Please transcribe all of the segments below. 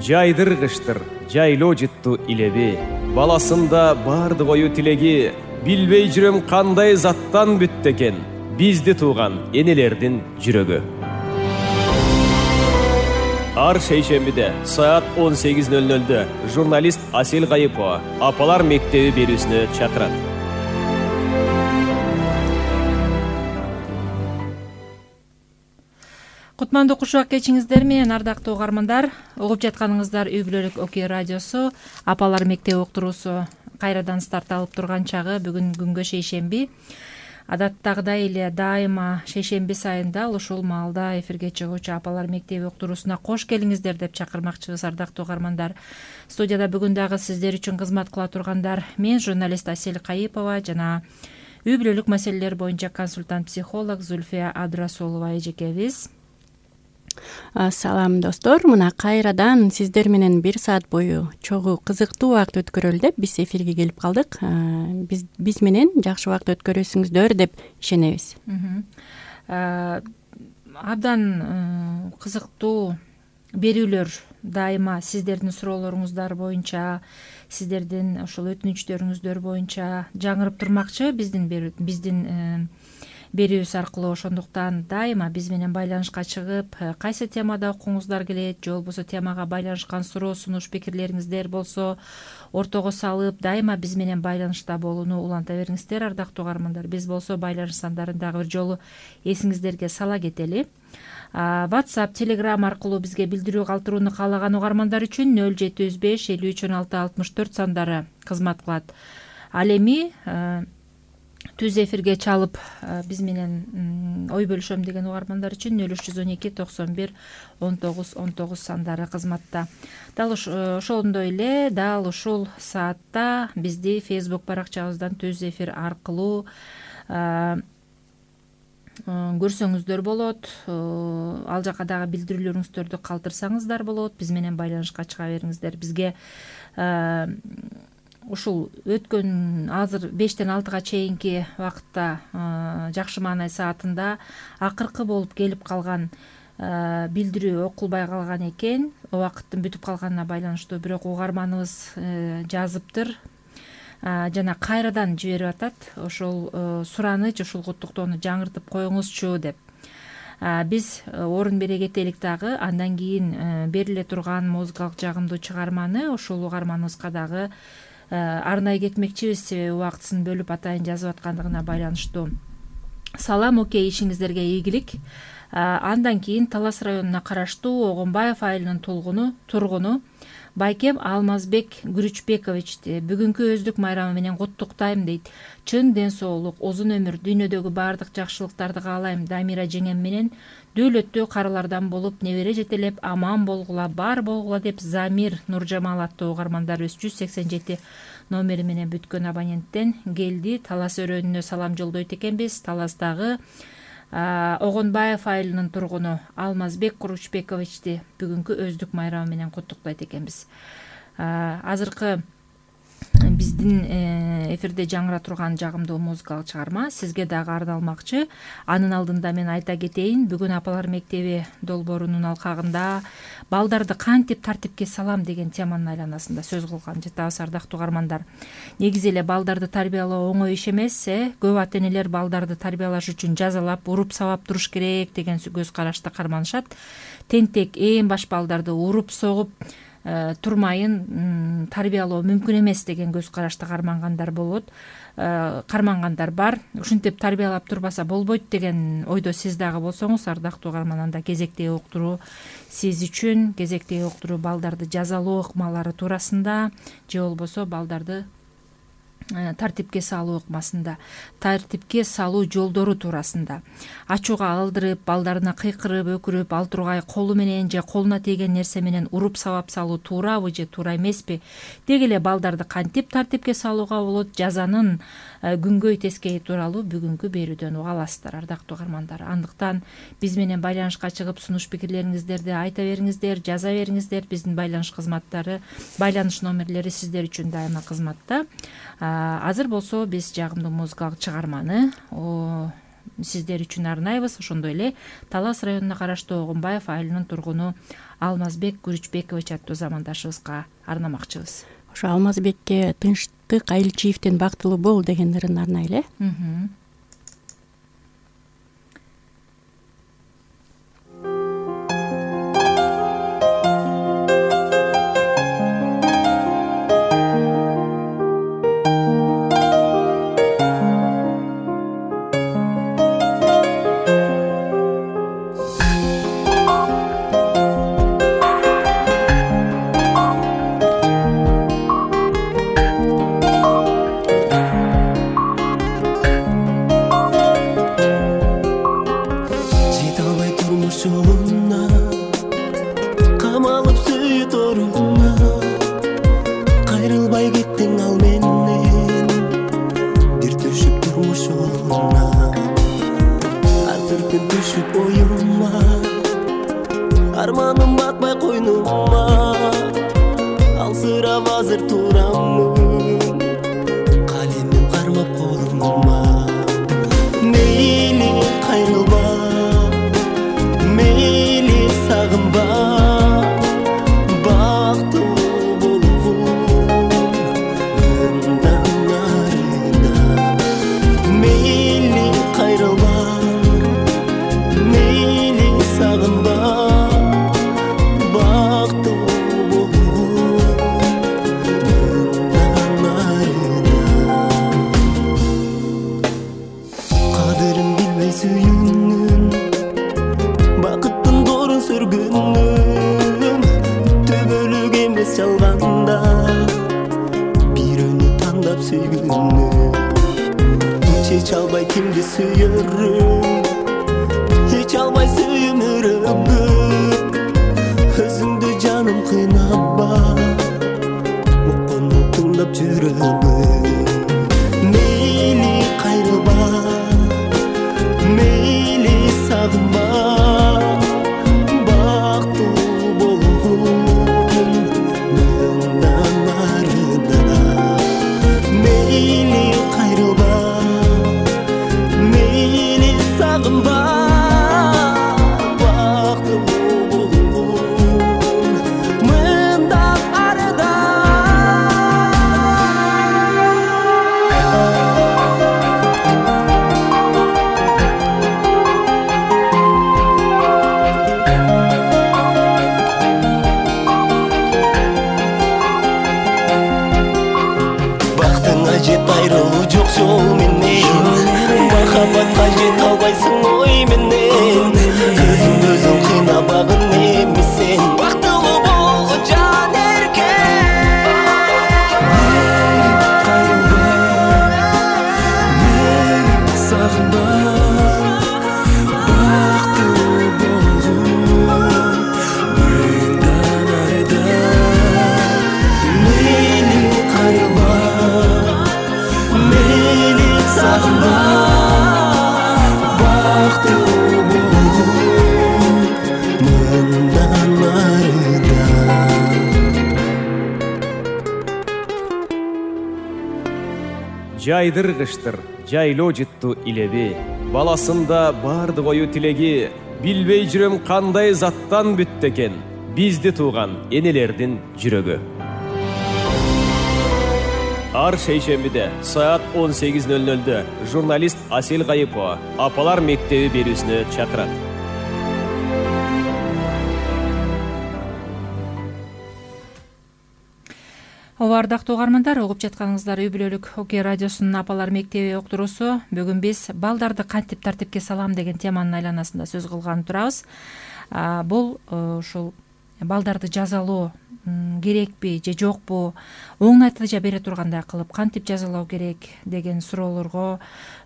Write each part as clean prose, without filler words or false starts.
жайдыргычтыр жайлоо жытту илеби. Баласында барды кою тилеги, билбей жүрөм кандай заттан бүттү экен бизди тууган энелердин жүрөгү. Ар шейшембиде саат 18:00 журналист Асел Кайыпова Апалар мектеби берүүсүнө чакырат. Кутмандуу кушак кечиңиздер менен, ардактуу угармандар. Угуп жатканыңыздар Үй бүлөлүк Окей радиосу Апалар мектеби уктуруусу кайрадан старт алып турган чагы. Бүгүн күнгө шейшемби. Адаттагыдай эле дайыма шейшемби сайын дал ушул маалда эфирге чыгуучу Апалар мектеби уктуруусуна кош келиңиздер деп чакырмакчыбыз, ардактуу угармандар. Студияда бүгүн дагы сиздер үчүн кызмат кыла тургандар мен журналист Асел Кайыпова жана үй бүлөлүк маселелер боюнча консультант психолог Зульфия Абдрасулова эжекебиз. Салам достор, мына кайрадан сиздер менен 1 саат бою чогуу кызыктуу убакыт өткөрөлү деп биз эфирге келип калдык. Биз менен жакшы убакыт өткөрөсүңүздөр деп ишенебиз. Абдан кызыктуу берүүлөр дайыма сиздердин суроолоруңуздар боюнча, сиздердин ушул өтүнүчтөрүңүздөр боюнча жаңырып турмакчы биздин берүүбүз аркылуу. Ошондуктан дайыма биз менен байланышка чыгып, кайсы темада окуңуздар келет же болбосо темага байланышкан суроо сунуш пикирлериңиздер болсо ортого салып, дайыма биз менен байланышта болууну уланта бериңиздер, ардактуу угармандар. Биз болсо байланыш сандарын дагы бир жолу эсиңиздерге сала кетели. WhatsApp, Telegram аркылуу бизге билдирүү калтырууну каалаган угармандар үчүн 0705 53 16 64 сандары кызмат кылат. Ал эми түз эфирге чалып биз менен ой бөлүшөм деген угармандар үчүн 0312 91 19 19 сандары кызматта. Дал ошондой эле дал ушул саатта бизди Facebook баракчабыздан түз эфир аркылуу көрсөңүздөр болот. Ал жака дагы билдирүүлөрүңүздөрдү калтырсаңыздар болот. Биз менен байланышка чыга бериңиздер. Бизге ушул өткөн азыр 5-тен 6-га чейинки убакытта жакшы маанай саатында акыркы болуп келип калган билдирүү окулбай калган экен. Убакыттын бүтүп калганына байланыштуу, бирок угарманыбыз жазыптыр жана кайрадан жиберип атат. Ошол сураныч, ушул куттуктоону жаңыртып коюңузчу деп. Биз орун бере кетелик дагы. Андан кийин бериле турган музыкалык жагымдуу чыгарманы ушул угарманыбызга дагы арнай кетмекчибиз, себеби убактысын бөлүп атайын жазып аткандыгына байланыштуу. Салам, окей, ишиңиздерге ийгилик. Андан кийин Талас районуна караштуу Огонбаев айылынын тургуну Байкем Алмазбек Күрүчбековичти бүгүнкү өздүк майрамы менен куттуктайм дейт. Чын ден соолук, узун өмүр, дүйнөдөгү баардык жакшылыктарды каалайм. Дамира жеңем менен дөөлөттүү карылардан болуп, небере жетелеп, аман болгула, бар болгула деп Замир Нуржамал аттуу угармандарыбыз 187 номери менен бүткөн абоненттен келди. Талас өрөөнүнө салам жолдойт экенбиз. Таластагы Огонбаев айылынын тургуну Алмазбек Күрүчбековичти бүгүнкү өздүк майрамы менен куттуктайт экенбиз. Азыркы биздин эфирде жаңыра турган жагымдуу музыкалык чыгарма сизге дагы арналмакчы. Анын алдында мен айта кетейин, бүгүн Апалар мектеби долбоорунун алкагында балдарды кантип тартипке салам деген теманын айланасында сөз кылган жатабыз, ардактуу угармандар. Негизи эле балдарды тарбиялоо оңой иш эмес. Көп ата энелер балдарды тарбиялаш үчүн жазалап, уруп сабап туруш керек деген көз карашты карманышат. Тентек ээн баш балдарды уруп согуп турмайын тарбиялоо мүмкүн эмес деген көз карашты кармангандар бар. Ушинтип тарбиялап турбаса болбойт деген ойдо сиз дагы болсоңуз, ардактуу угарман, анда кезектеги уктуруу сиз үчүн, кезектеги уктуруу балдарды жазалоо ыкмалары туурасында же болбосо балдарды тартипке салуу ыкмасында, тартипке салуу жолдору туурасында. Ачууга алдырып, балдарына кыйкырып, өкүрүп, ал тургай колу менен же колуна тийген нерсе менен уруп сабап салуу туурабы же туура эмеспи? Деги эле балдарды кантип тартипке салууга болот? Жазанын күнгөй тескейи тууралуу бүгүнкү берүүдөн уга аласыздар, ардактуу угармандар. Андыктан биз менен байланышка чыгып сунуш пикирлериңиздерди айта бериңиздер, жаза бериңиздер. Биздин байланыш кызматтары, байланыш номерлери сиздер үчүн дайыма кызматта. Азыр болсо биз жагымдуу музыкалык чыгарманы сиздер үчүн арнайбыз. Ошондой эле Талас районуна караштуу Огунбаев айылынын тургуну Алмазбек Күрүчбекович аттуу замандашыбызга арнамакчыбыз. Ошо Алмазбекке Тынчтык Айылчиевден бактылуу бол деген ырын арнайлы. Арманым батпай койнума, алсырап азыр турамын, калемим кармап колума. Мейли кайрылба, мейли сагынба, бактылуу болгун мындан нарында. Мейли кайрылба, мейли сагынба, жалганда бирөөнү тандап сүйгүнү чече албай кимди сүйөрүм, эч албай сүйүмүрөбү, өзүңдү жаным кыйнабба, уккону тыңдап жүрөбү. Мейли кайрылба, мейли сагынба, айрылуу жок жол менен, махабатка жете албайсың ой менен, өзүң кыйнабагын эми сен, бактылуу болгон жан эркек. Кайрылба, мени сагынба, бактылуу болгон мындан айда. Мени кайрылба, мени сагынба, бактылуу болгун мындан арыда. Жайдыр кыштыр, жайлоо жытту илеби, баласында бардык ою тилеги, билбей жүрөм кандай заттан бүттү экен бизди тууган энелердин жүрөгү. Ар шейшембиде саат 18:00 журналист Асел Кайыпова Апалар мектеби берүүсүнө чакырат. Ардактуу угармандар, угуп жатканыңыздар үй бүлөлүк Окей радиосунун Апалар мектеби уктуруусу. Бүгүн биз балдарды кантип тартипке салам деген теманын айланасында сөз кылганы турабыз. Бул ушул балдарды жазалоо керекпи же жокпу, оң натыйжа бере тургандай кылып кантип жазалоо керек деген суроолорго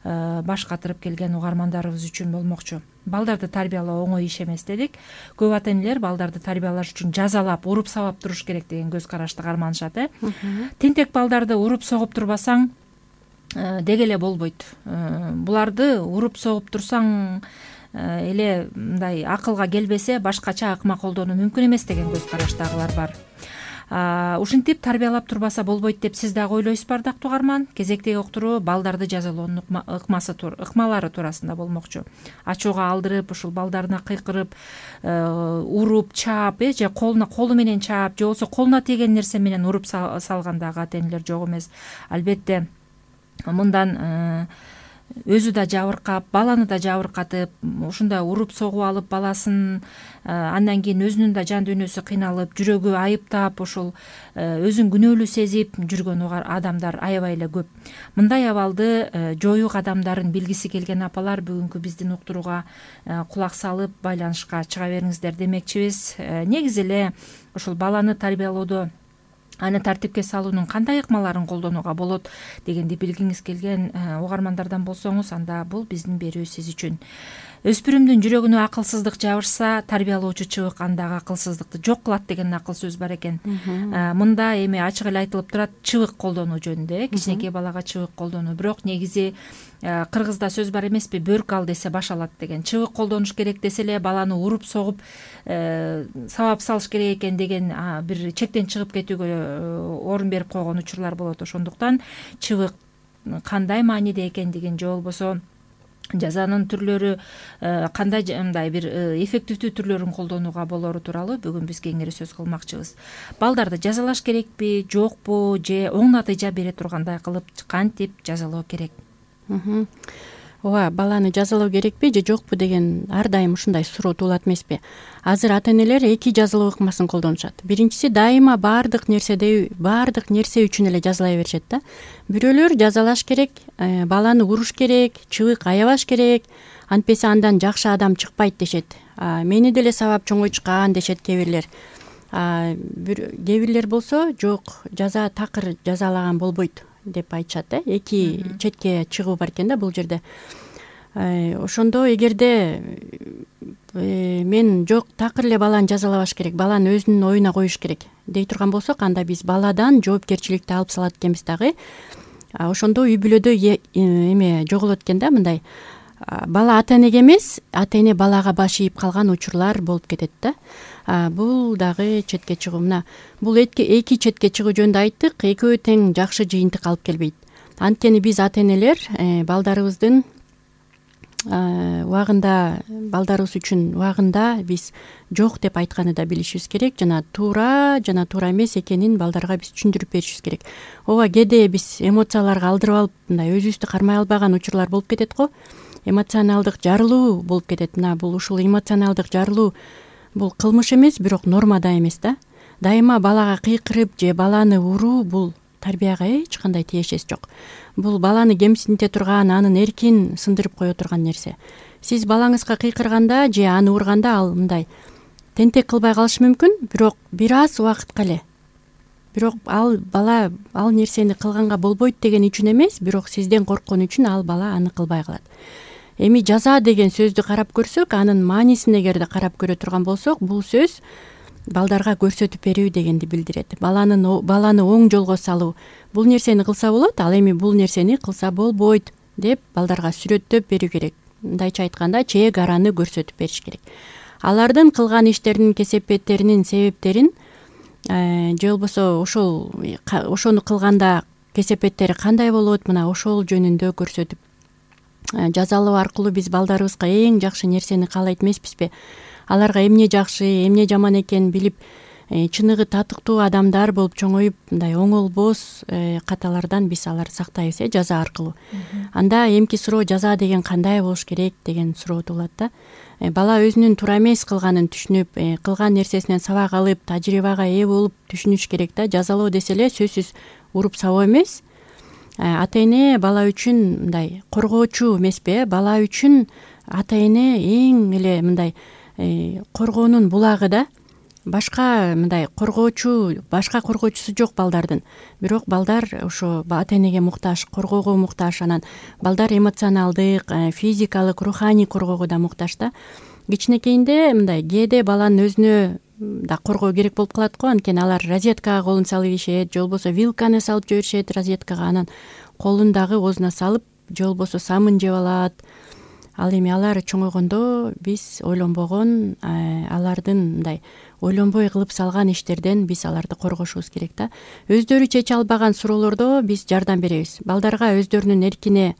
баш катырып келген угармандарыбыз үчүн болмокчу. Балдарды тарбиялоо оңой иш эмес дедик. Көп ата-энелер балдарды тарбиялаш үчүн жазалап, уруп сабап туруш керек деген көз карашты карманышат. Тентек балдарды уруп согуп турбасаң деге эле болбойт. Буларды уруп согуп турсаң эле мындай акылга келбесе башкача ыкма колдонуу мүмкүн эмес деген көз караштагылар бар. Ушинтип тарбиялап турбаса болбойт деп сиз дагы ойлойсузбу, ардактуу угарман? Кезектеги уктуруу балдарды жазалоонун ыкмалары туурасында болмокчу. Ачууга алдырып, ушул балдарына кыйкырып, уруп, чаап, же колу менен чаап, же болбосо колуна тиген нерсе менен уруп салган дагы ата-энелер жок эмес. Албетте мындан өзү да жабыркап, баланы да жабыркатып, ушундай уруп согуп алып баласын, андан кийин өзүнүн да жан дүйнөсү кыйналып, жүрөгү айыптап, ушул өзүн күнөөлүү сезип жүргөн адамдар аябай эле көп. Мындай абалды жоюу кадамдарын билгиси келген апалар бүгүнкү биздин уктурууга кулак салып, байланышка чыга бериңиздер демекчибиз. Негизи эле ушул баланы тарбиялоодо аны тартипке салуунун кандай ыкмаларын колдонууга болот дегенди билгиңиз келген угармандардан болсоңуз, анда бул биздин берүү сиз үчүн. Өспүрүмдүн жүрөгүнө акылсыздык жабышса, тарбиялоочу чыбык андагы акылсыздыкты жок кылат деген акыл сөз бар экен. Мында эми ачык эле айтылып турат чыбык колдонуу жөнүндө, кичинекей балага чыбык колдонуу. Бирок негизи кыргызда сөз бар эмеспи, бөрк ал десе баш алат деген. Чыбык колдонуш керек десе эле баланы уруп согуп сабап салыш керек экен деген бир чектен чыгып кетүүгө орун берип койгон учурлар болот. Ошондуктан чыбык кандай мааниде экендигин, же болбосо жазанын түрлөрү кандай мындай бир эффективдүү түрлөрүн колдонууга болору тууралуу бүгүн биз кеңири сөз кылмакчыбыз. Балдарды жазалаш керекпи, жокпу, же оң натыйжа бере тургандай кылып кантип жазалоо керек? Ооба, баланы жазалоо керекпи же жокпу деген ар дайым ушундай суроо туулат эмеспи? Азыр ата-энелер эки жазалоо ыкмасын колдонушат. Биринчиси дайыма баардык нерсе үчүн эле жазалай беришет да. Бирөөлөр жазалаш керек, баланы уруш керек, чыбык аябаш керек, антпесе андан жакшы адам чыкпайт дешет. Мени деле сабап чоңойтушкан дешет кээ бирлер. Кээ бирлер болсо жок, жаза такыр жазалаган болбойт деп айтышат да. Эки четке чыгуу бар экен да бул жерде. Ошондо эгерде мен жок, такыр эле баланы жазалабаш керек, баланы өзүнүн оюна коюш керек дей турган болсок, анда биз баладан жоопкерчиликти алып салат экенбиз дагы. Ошондо үй бүлөдө эме жоголот экен да, мындай бала ата-энеге эмес, ата-эне балага баш ийип калган учурлар болуп кетет да. Бул дагы четке чыгуу. Мына бул эки четке чыгуу жөнүндө айттык, экөө тең жакшы жыйынтык алып келбейт. Анткени биз ата-энелер балдарыбыздын балдарыбыз үчүн убагында биз жок деп айтканды да билишибиз керек, жана туура эмес экенин балдарга биз түшүндүрүп беришибиз керек. Ооба, кээде биз эмоцияларга алдырып алып, мындай өзүбүздү кармай албаган учурлар болуп кетет го. Эмоционалдык жарылуу болуп кетет. Мына бул ушул эмоционалдык жарылуу бул кылмыш эмес, бирок норма да эмес да. Дайыма балага кыйкырып же баланы уруу бул тарбияга эч кандай тиешеси жок. Бул баланы кемсинте турган, анын эркин сындырып кое турган нерсе. Сиз балаңызга кыйкырганда же аны урганда ал мындай тентек кылбай калышы мүмкүн, бирок бир аз убакытка эле. Бирок ал бала ал нерсени кылганга болбойт деген үчүн эмес, бирок сизден корккон үчүн ал бала аны кылбай калат. Эми жаза деген сөздү карап көрсөк, анын маанисин эгерде карап көрө турган болсок, бул сөз балдарга көрсөтүп берүү дегенди билдирет. Баланы оң жолго салуу. Бул нерсени кылса болот, ал эми бул нерсени кылса болбойт деп балдарга сүрөттөп берүү керек. Мындайча айтканда, чек араны көрсөтүп бериш керек. Алардын кылган иштеринин кесепеттеринин себептерин же болбосо ошону кылганда кесепеттери кандай болот, мына ошол жөнүндө көрсөтүп жазалоо аркылуу биз балдарыбызга эң жакшы нерсени каалайт эмеспизби? Аларга эмне жакшы, эмне жаман экенин билип, чыныгы татыктуу адамдар болуп чоңоюп, мындай оңолбос каталардан биз аларды сактайбыз, жаза аркылуу. Анда эмки суроо, жаза деген кандай болуш керек деген суроо туулат да. Бала өзүнүн туура эмес кылганын түшүнүп, кылган нерсесинен сабак алып, тажрыйбага ээ болуп түшүнүш керек да. Жазалоо десе эле сөзсүз уруп сабоо эмес. Ата-эне бала үчүн мындай коргоочу эмеспи? Бала үчүн ата-эне эң эле мындай коргоонун булагы да. Башка мындай башка коргоочусу жок балдардын. Бирок балдар ошо ата-энеге муктаж, коргоого муктаж, анан балдар эмоционалдык, физикалык, руханий коргоого да муктаж да. Кичинекейинде мындай кээде баланын өзүнө да коргоо керек болуп калат го, анткени алар розеткага колун салып ийишет, же болбосо вилканы салып жиберишет розеткага, анан колун дагы оозуна салып, же болбосо самын жеп алат, ал эми алар чоңойгондо биз ойлонбогон, алардын мындай ойлонбой кылып салган иштерден биз аларды коргошубуз керек да. Өздөрү чече албаган суроолордо биз жардам беребиз. Балдарга өздөрүнүн эркине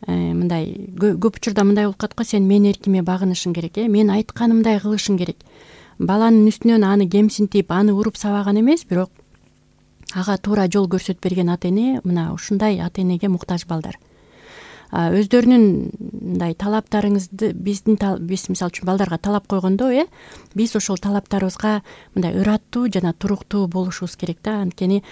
мындай көп учурда мындай болуп калат го, сен менин эркиме багынышың керек, мен айтканымдай кылышың керек. Баланын үстүнөн аны кемсинтип, аны уруп сабаган эмес, бирок ага туура жол көрсөтүп берген ата эне, мына ушундай ата энеге муктаж балдар. Өздөрүнүн мындай талаптарыңызды биз мисалы үчүн балдарга талап койгондо, биз ошол талаптарыбызга мындай ыраттуу жана туруктуу болушубуз керек да. Анткени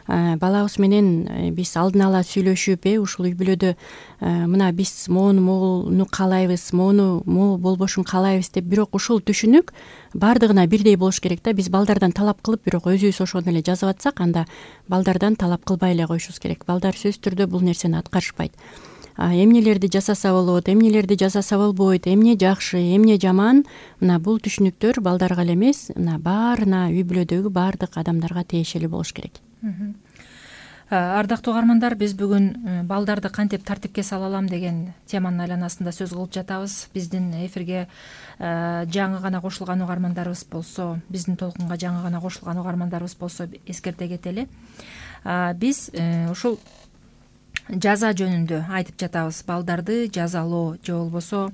балабыз менен биз алдын ала сүйлөшүп, ушул үй бүлөдө мына биз могуну каалайбыз, могу болбошун каалайбыз деп, бирок ушул түшүнүк бардыгына бирдей болуш керек да. Биз балдардан талап кылып, бирок өзүбүз ошону эле жазып атсак, анда балдардан талап кылбай эле коюшубуз керек. Балдар сөзсүз түрдө бул нерсени аткарышпайт. Эмнелерди жасаса болот, эмнелерди жасаса болбойт, эмне жакшы, эмне жаман, мына бул түшүнүктөр балдарга эле эмес, мына баарына, үй бүлөдөгү баардык адамдарга тиешелүү болуш керек. Ардактуу угармандар, биз бүгүн балдарды кантип тартипке сала алам деген теманын айланасында сөз кылып жатабыз. Биздин эфирге жаңы гана кошулган угармандарыбыз болсо, биздин толкунга жаңы гана кошулган угармандарыбыз болсо эскерте кетели. Биз ушул жаза жөнүндө айтып жатабыз. Балдарды жазалоо же болбосо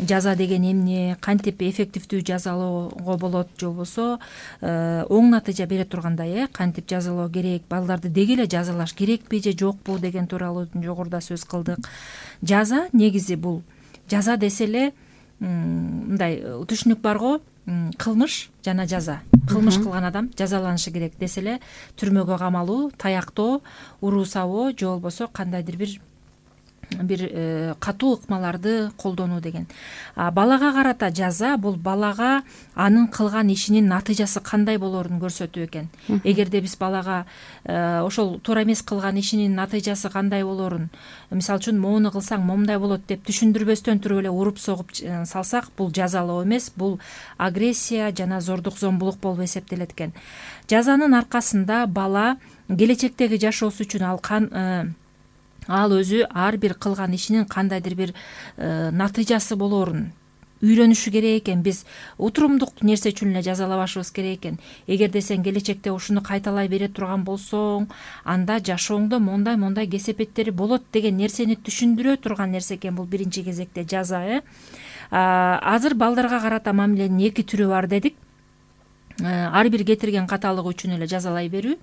жаза деген эмне, кантип эффективдүү жазалоого болот, же болбосо оң натыйжа бере тургандай, кантип жазалоо керек, балдарды деги эле жазалаш керекпи же жокпу деген тууралуу жогоруда сөз кылдык. Жаза негизи бул жаза десе эле мындай түшүнүк барго, кылмыш жана жаза. Кылмыш кылган адам жазаланышы керек десе эле түрмөгө камалуу, таяктоо, уруу сабоо же болбосо кандайдыр бир катуу ыкмаларды колдонуу деген. Балага карата жаза бул балага анын кылган ишинин натыйжасы кандай болоорун көрсөтүү экен. Эгерде биз балага ошол туура эмес кылган ишинин натыйжасы кандай болоорун, мисалы үчүн моуну кылсаң момундай болот деп түшүндүрбөстөн туруп эле уруп согуп салсак, бул жазалоо эмес, бул агрессия жана зордук зомбулук болуп эсептелет экен. Жазанын аркасында бала келечектеги жашоосу үчүн ал өзү ар бир кылган ишинин кандайдыр бир натыйжасы болоорун үйрөнүшү керек экен. Биз утурумдук нерсе үчүн эле жазалабашыбыз керек экен. Эгерде сен келечекте ушуну кайталай бере турган болсоң, анда жашооңдо мондай кесепеттери болот деген нерсени түшүндүрө турган нерсе экен бул биринчи кезекте жаза. Азыр балдарга карата мамиленин эки түрү бар дедик. Ар бир кетирген каталыгы үчүн эле жазалай берүү.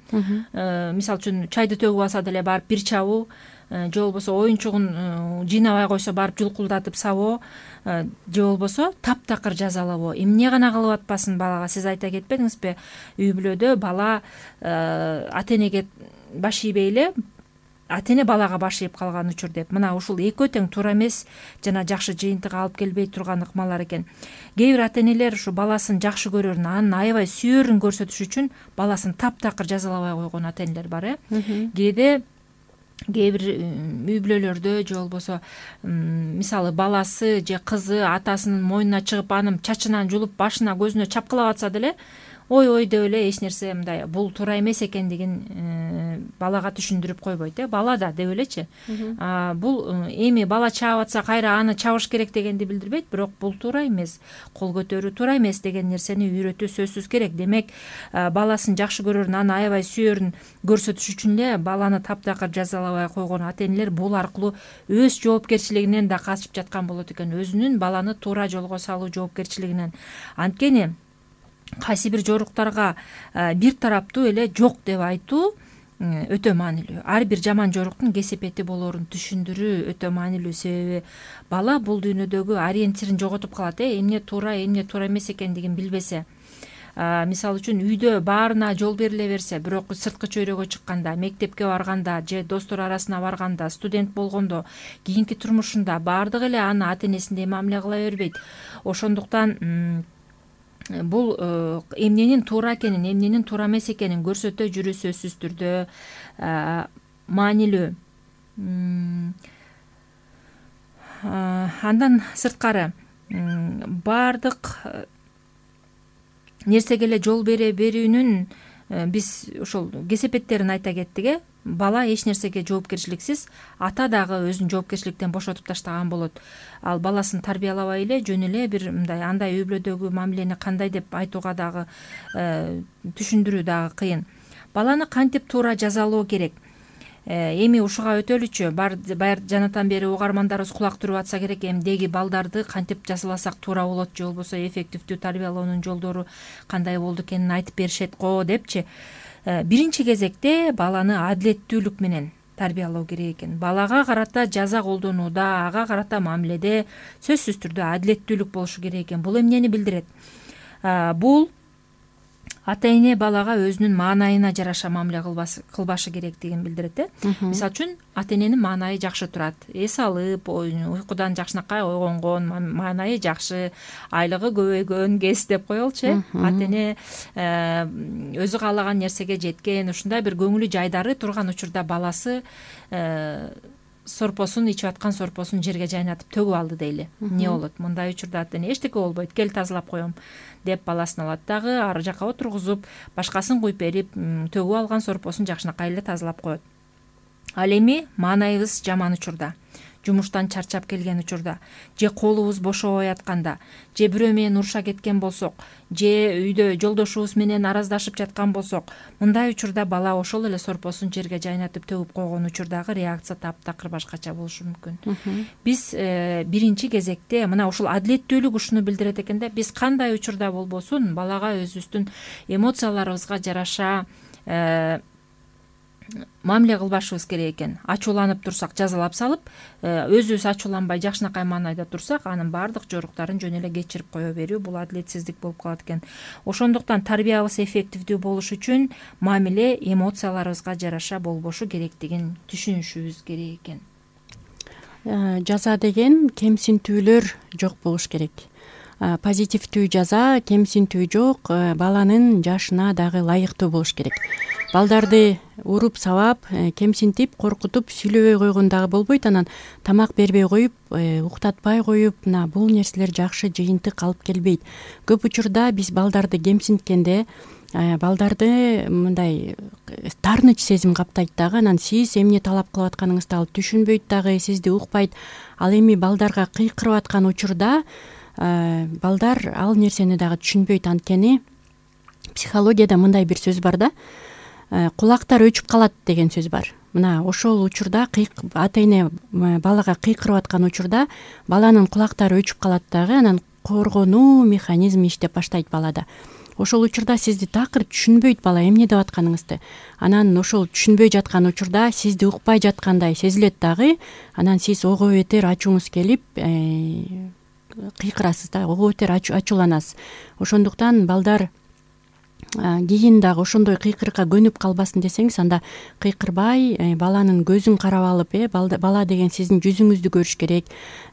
Мисалы үчүн чайды төгүп алса деле барып бир чабуу, же болбосо оюнчугун жыйнабай койсо барып жулкулдатып сабоо, же болбосо таптакыр жазалабоо. Эмне гана кылып атпасын балага. Сиз айта кетпедиңизби, үй бүлөдө бала ата энеге баш ийбей эле ата эне балага баш ийип калган учур деп. Мына ушул экөө тең туура эмес жана жакшы жыйынтыгга алып келбей турган ыкмалар экен. Кээ бир ата энелер ушу баласын жакшы көрөрүн, анын аябай сүйөрүн көрсөтүш үчүн баласын таптакыр жазалабай койгон ата энелер бар. Кээде кээ бир үй бүлөлөрдө же болбосо мисалы баласы же кызы атасынын мойнуна чыгып анын чачынан жулуп башына көзүнө чапкылап атса деле ой деп эле эч нерсе мындай бул туура эмес экендигин балага түшүндүрүп койбойт. Бала да деп элечи. Бул эми бала чаап атса кайра аны чабыш керек дегенди билдирбейт, бирок бул туура эмес, кол көтөрүү туура эмес деген нерсени үйрөтүү сөзсүз керек. Демек баласын жакшы көрөрүн, аны аябай сүйөрүн көрсөтүш үчүн эле баланы таптакыр жазалабай койгон ата энелер бул аркылуу өз жоопкерчилигинен да качып жаткан болот экен, өзүнүн баланы туура жолго салуу жоопкерчилигинен. Анткени кайсы бир жоруктарга бир тараптуу эле жок деп айтуу өтө маанилүү. Ар бир жаман жоруктун кесепети болоорун түшүндүрүү өтө маанилүү. Себеби бала бул дүйнөдөгү ориентирин жоготуп калат. Эмне туура эмес экендигин билбесе. Мисалы үчүн үйдө баарына жол бериле берсе, бирок сырткы чөйрөгө чыкканда, мектепке барганда же достор арасына барганда, студент болгондо, кийинки турмушунда баардыгы эле аны ата энесиндей мамиле кыла бербейт. Ошондуктан бул эмненин туура экенин, эмненин туура эмес экенин көрсөтө жүрүү сөзсүз түрдө маанилүү. Андан сырткары баардык нерсеге эле жол бере берүүнүн биз ошол кесепеттерин айта кеттик. Бала эч нерсеге жоопкерчиликсиз, ата дагы өзүн жоопкерчиликтен бошотуп таштаган болот. Ал баласын тарбиялабай эле жөн эле бир мындай андай үй бүлөдөгү мамилени кандай деп айтууга дагы түшүндүрүү дагы кыйын. Баланы кантип туура жазалоо керек? Эми ушуга өтөлүчү баяр жанатан бери угармандарыбыз кулак түрүп атса керек. Эмдеги балдарды кантип жазаласак туура болот, же болбосо эффективдүү тарбиялоонун жолдору кандай болду экенин айтып беришет го депчи. Биринчи кезекте баланы адилеттүүлүк менен тарбиялоо керек экен. Балага карата жаза колдонууда, ага карата мамиледе сөзсүз түрдө адилеттүүлүк болушу керек экен. Бул эмнени билдирет? Бул ата эне балага өзүнүн маанайына жараша мамиле кылбашы керектигин билдирет. Мисалы үчүн ата эненин маанайы жакшы турат, эс алып, уйкудан жакшынакай ойгонгон, маанайы жакшы, айлыгы көбөйгөн кез деп коелучу. Ата эне өзү каалаган нерсеге жеткен, ушундай бир көңүлү жайдары турган учурда баласы сорпосун ичип аткан сорпосун жерге жайнатып төгүп алды дейли. Эмне болот? Мындай учурда ата эне эчтеке болбойт, кел тазалап коем деп баласын алат дагы ары жака отургузуп, башкасын куюп берип, төгүп алган сорпосун жакшынакай эле тазалап коет. Ал эми маанайыбыз жаман учурда, жумуштан чарчап келген учурда, же колубуз бошобой атканда, же бирөө менен уруша кеткен болсок, же үйдө жолдошубуз менен араздашып жаткан болсок, мындай учурда бала ошол эле сорпосун жерге жайнатып төгүп койгон учурдагы реакция таптакыр башкача болушу мүмкүн. Биз биринчи кезекте мына ушул адилеттүүлүк ушуну билдирет экен да, биз кандай учурда болбосун балага өзүбүздүн эмоцияларыбызга жараша мамиле кылбашыбыз керек экен. Ачууланып турсак жазалап салып, өзүбүз ачууланбай жакшынакай маанайда турсак, анын баардык жоруктарын жөн эле кечирип кое берүү бул адилетсиздик болуп калат экен. Ошондуктан тарбиябыз эффективдүү болуш үчүн мамиле эмоцияларыбызга жараша болбошу керектигин түшүнүшүбүз керек экен. Жаза деген кемсинтүүлөр жок болуш керек. Позитивдүү жаза, кемсинтүү жок, баланын жашына дагы ылайыктуу болуш керек. Балдарды уруп сабап, кемсинтип, коркутуп сүйлөбөй койгон дагы болбойт. Анан тамак бербей коюп, уктатпай коюп, бул нерселер жакшы жыйынтык алып келбейт. Көп учурда биз балдарды кемсинткенде, балдарды мындай таарыныч сезим каптайт дагы. Анан сиз эмне талап кылып атканыңызды ал түшүнбөйт дагы, сизди укпайт. Ал эми балдарга кыйкырып аткан учурда балдар ал нерсени дагы түшүнбөйт. Анткени психологияда мындай бир сөз бар да, кулактар өчүп калат деген сөз бар. Мына ошол учурда ата эне балага кыйкырып аткан учурда баланын кулактары өчүп калат дагы, анан коргонуу механизми иштеп баштайт балада. Ошол учурда сизди такыр түшүнбөйт бала эмне деп атканыңызды. Анан ошол түшүнбөй жаткан учурда сизди укпай жаткандай сезилет дагы. Анан сиз ого бетер ачууңуз келип кыйкырасыз да, ого бетер ачууланасыз. Ошондуктан балдар кийин дагы ошондой кыйкырыкка көнүп калбасын десеңиз, анда кыйкырбай, баланын көзүн карап алып, бала деген сиздин жүзүңүздү көрүш керек.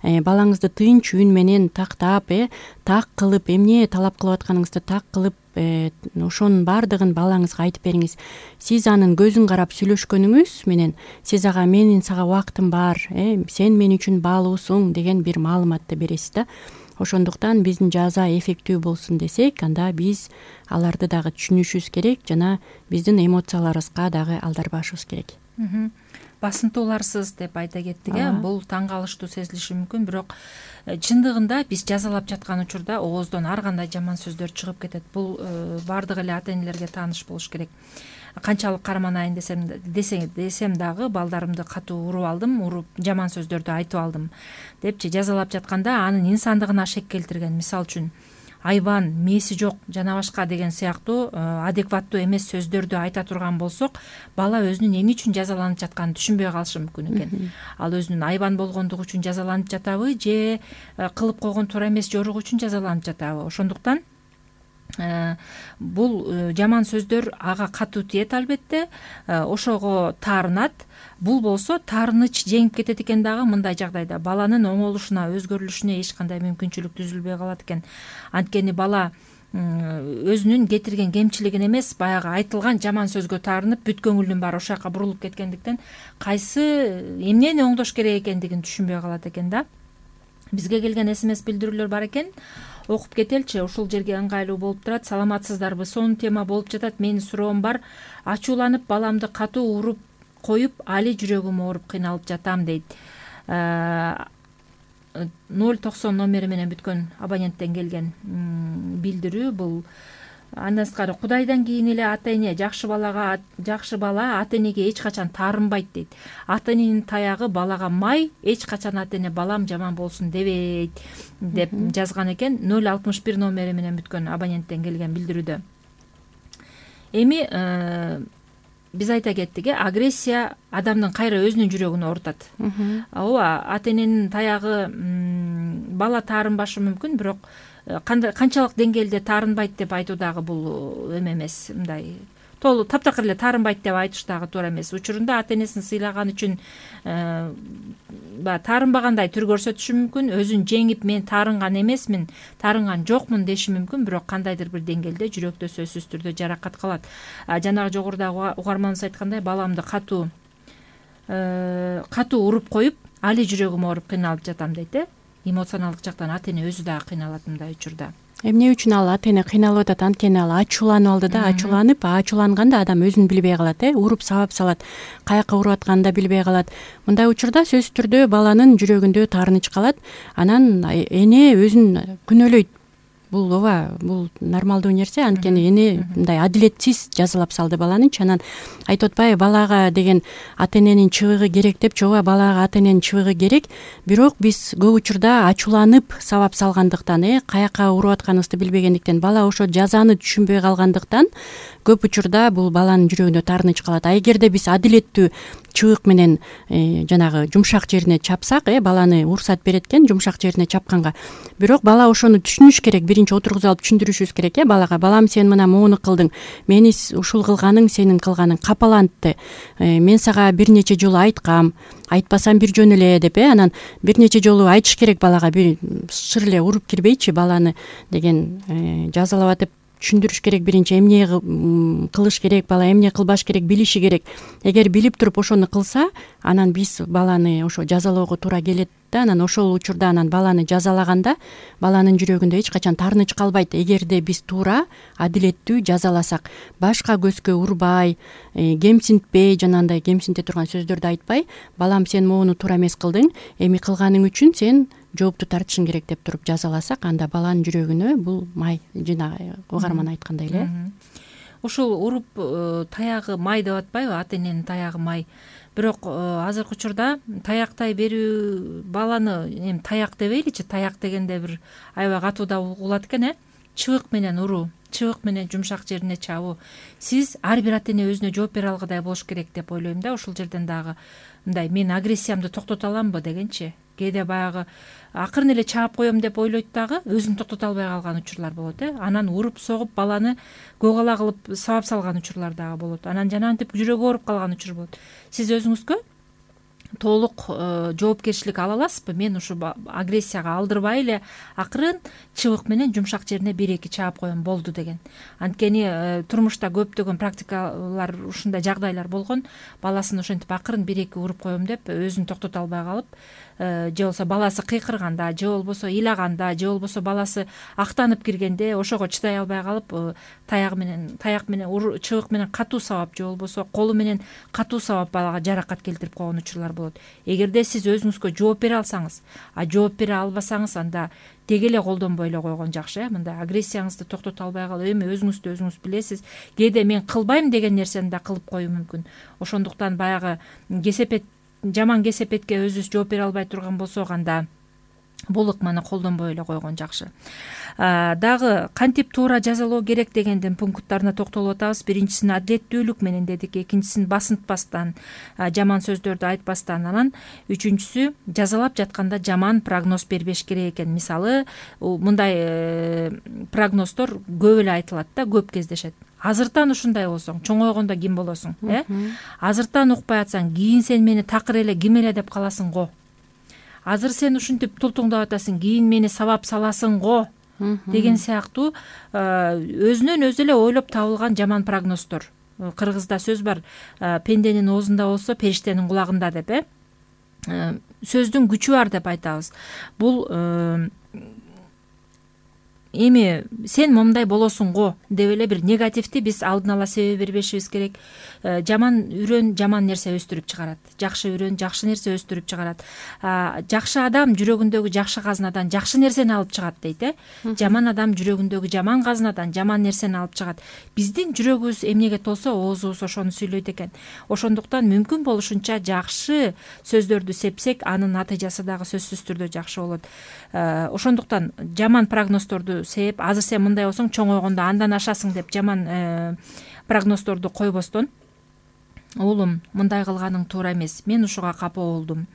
Балаңызды тынч үн менен тактап, так кылып, эмне талап кылып атканыңызды так кылып, ошонун баардыгын балаңызга айтып бериңиз. Сиз анын көзүн карап сүйлөшкөнүңүз менен сиз ага менин сага убактым бар, сен мен үчүн баалуусуң деген бир маалыматты бересиз да. Ошондуктан биздин жаза эффективдүү болсун десек, анда биз аларды дагы түшүнүшүбүз керек жана биздин эмоцияларыбызга дагы алдарбашыбыз керек. Басынтууларсыз деп айта кеттик. Бул таң калыштуу сезилиши мүмкүн, бирок чындыгында биз жазалап жаткан учурда ооздон ар кандай жаман сөздөр чыгып кетет. Бул баардык эле ата энелерге тааныш болуш керек. Канчалык карманайын десем дагы балдарымды катуу уруп алдым, жаман сөздөрдү айтып алдым депчи жазалап жатканда анын инсандыгына шек келтирген, мисалы үчүн айбан, мээси жок жана башка деген сыяктуу адекваттуу эмес сөздөрдү айта турган болсок, бала өзүнүн эмне үчүн жазаланып жатканын түшүнбөй калышы мүмкүн экен. Ал өзүнүн айбан болгондугу үчүн жазаланып жатабы, же кылып койгон туура эмес жоругу үчүн жазаланып жатабы. Ошондуктан бул жаман сөздөр ага катуу тиет албетте, ошого таарынат. Бул болсо таарыныч жеңип кетет экен дагы. Мындай жагдайда баланын оңолушуна, өзгөрүлүшүнө эч кандай мүмкүнчүлүк түзүлбөй калат экен. Анткени бала өзүнүн кетирген кемчилигин эмес, баягы айтылган жаман сөзгө таарынып, бүт көңүлүнүн баары ошол жака бурулуп кеткендиктен кайсы эмнени оңдош керек экендигин түшүнбөй калат экен да. Бизге келген СМС билдирүүлөр бар экен, окуп кетеличи. Ушул жерге ыңгайлуу болуп турат. Саламатсыздарбы? Сонун тема болуп жатат. Менин суроом бар. Ачууланып баламды катуу уруп коюп, али жүрөгүм ооруп кыйналып жатам дейт. 090 номери менен бүткөн абоненттен келген билдирүү бул. Андан тышкары Кудайдан кийин эле ата эне жакшы бала ата энеге эч качан таарынбайт дейт. Ата эненин таягы балага май, эч качан ата эне балам жаман болсун дебейт деп жазган экен. 061 номери менен бүткөн абоненттен келген билдирүүдө. Эми биз айта кеттик, агрессия адамдын кайра өзүнүн жүрөгүн оорутат. Ооба, ата эненин таягы бала таарынбашы мүмкүн, бирок канчалык деңгээлде таарынбайт деп айтуу дагы бул эме эмес, мындай таптакыр эле таарынбайт деп айтыш дагы туура эмес. Учурунда ата энесин сыйлаган үчүн таарынбагандай түр көрсөтүшү мүмкүн, өзүн жеңип мен таарынган эмесмин, таарынган жокмун деши мүмкүн, бирок кандайдыр бир деңгээлде жүрөктө сөзсүз түрдө жаракат калат. Жанагы жогорудагы угарманыбыз айткандай, баламды катуу уруп коюп, али жүрөгүм ооруп кыйналып жатам дейт. Эмоционалдык жактан ата эне өзү дагы кыйналат мындай учурда. Эмне үчүн ал ата эне кыйналып атат? Анткени ал ачууланып алды да, ачууланганда адам өзүн билбей калат, уруп сабап салат, каяка уруп атканын да билбей калат. Мындай учурда сөзсүз түрдө баланын жүрөгүндө таарыныч калат, анан эне өзүн күнөөлөйт. Бул бул нормалдуу нерсе, анткени эне мындай адилетсиз жазалап салды баланычы. Анан айтып атпайбы, балага деген ата эненин чыбыгы керек депчи. Ооба, балага ата эненин чыбыгы керек, бирок биз көп учурда ачууланып сабап салгандыктан, каяка уруп атканыбызды билбегендиктен, бала ошо жазаны түшүнбөй калгандыктан көп учурда бул баланын жүрөгүндө таарыныч калат. Эгерде биз адилеттүү чыбык менен жанагы жумшак жерине чапсак, баланы уруксат берет экен жумшак жерине чапканга, бирок бала ошону түшүнүш керек. Биринчи отургузуп алып түшүндүрүшүбүз керек, балага: балам, сен мына моуну кылдың, мени ушул кылганың сенин кылганың капалантты, мен сага бир нече жолу айткам, айтпасам бир жөн эле деп, анан бир нече жолу айтыш керек балага, бир шыр эле уруп кирбейчи баланы деген жазалап атып түшүндүрүш керек. Биринчи эмне кылыш керек, бала эмне кылбаш керек билиши керек. Эгер билип туруп ошону кылса, анан биз баланы ошо жазалоого туура келет да, анан ошол учурда анан баланы жазалаганда баланын жүрөгүндө эч качан таарыныч калбайт. Эгерде биз туура, адилеттүү жазаласак, башка көзгө урбай, кемсинтпей, жанагындай кемсинте турган сөздөрдү айтпай, балам, сен моуну туура эмес кылдың, эми кылганың үчүн сен жоопту тартышың керек деп туруп жазаласак, анда баланын жүрөгүнө бул май, жана угарман айткандай эле. Ушул уруп таягы май деп атпайбы, ата эненин таягы май. Бирок азыркы учурда таяктай берүү, баланы таяк дебейличи, таяк дегенде бир аябай катуу да угулат экен, чыбык менен уруу, чыбык менен жумшак жерине чабуу. Сиз ар бир ата эне өзүнө жооп бере алгыдай болуш керек деп ойлойм да. Ушул жерден дагы мындай: мен агрессиямды токтото аламбы дегенчи. Кээде баягы акырын эле чаап коем деп ойлойт дагы, өзүн токтото албай калган учурлар болот. Анан уруп согуп баланы көк кылып сабап салган учурлар дагы болот. Анан жанагынтип жүрөгү ооруп калган учур болот. Сиз өзүңүзгө толук жоопкерчилик ала аласызбы? Мен ушу агрессияга алдырбай эле акырын чыбык менен жумшак жерине 1-2 чаап коем болду деген. Анткени турмушта көптөгөн практикалар, ушундай жагдайлар болгон. Баласын ошентип акырын 1-2 уруп коем деп өзүн токтото албай калып, же болбосо баласы кыйкырганда, же болбосо ыйлаганда, же болбосо баласы актанып киргенде ошого чыдай албай калып, таяк менен чыбык менен катуу сабап, же болбосо колу менен катуу сабап балага жаракат келтирип койгон учурлар болот. Эгерде сиз өзүңүзгө жооп бере алсаңыз, жооп бере албасаңыз, анда деги эле колдонбой эле койгон жакшы. Мындай агрессияңызды токтото албай калып, эми өзүңүздү өзүңүз билесиз. Кээде мен кылбайм деген нерсени да кылып коюу мүмкүн. Ошондуктан баягы жаман кесепетке өзүбүз жооп бере албай турган болсок, анда бул ыкманы колдонбой эле койгон жакшы. Дагы кантип туура жазалоо керек дегендин пункттарына токтолуп атабыз. Биринчисин адилеттүүлүк менен дедик, экинчисин басынтпастан, жаман сөздөрдү айтпастан, анан үчүнчүсү жазалап жатканда жаман прогноз бербеш керек экен. Мисалы, мындай прогноздор көп эле айтылат да, көп кездешет. Азыртан ушундай болсоң, чоңойгондо ким болосуң, Азыртан укпай атсаң, кийин сен мени такыр эле ким эле деп каласың го. Азыр сен ушинтип тултуңдап атасың, кийин мени сабап саласың го деген сыяктуу өзүнөн өзү эле ойлоп табылган жаман прогноздор. Кыргызда сөз бар: пенденин оозунда болсо, периштенин кулагында деп. сөздүн күчү бар деп айтабыз. Бул эми сен момундай болосуң го деп эле бир негативди биз алдын ала себеп бербешибиз керек. Жаман үрөн жаман нерсе өстүрүп чыгарат, жакшы үрөн жакшы нерсе өстүрүп чыгарат. Жакшы адам жүрөгүндөгү жакшы казынадан жакшы нерсени алып чыгат дейт. Жаман адам жүрөгүндөгү жаман казынадан жаман нерсени алып чыгат. Биздин жүрөгүбүз эмнеге толсо, оозубуз ошону сүйлөйт экен. Ошондуктан мүмкүн болушунча жакшы сөздөрдү сепсек, анын натыйжасы дагы сөзсүз түрдө жакшы болот. Ошондуктан жаман прогноздорду сеп, азыр сен мындай болсоң чоңойгондо андан ашасың деп жаман прогноздорду койбостон, уулум, мындай кылганың туура эмес, мен ушуга капа болдум,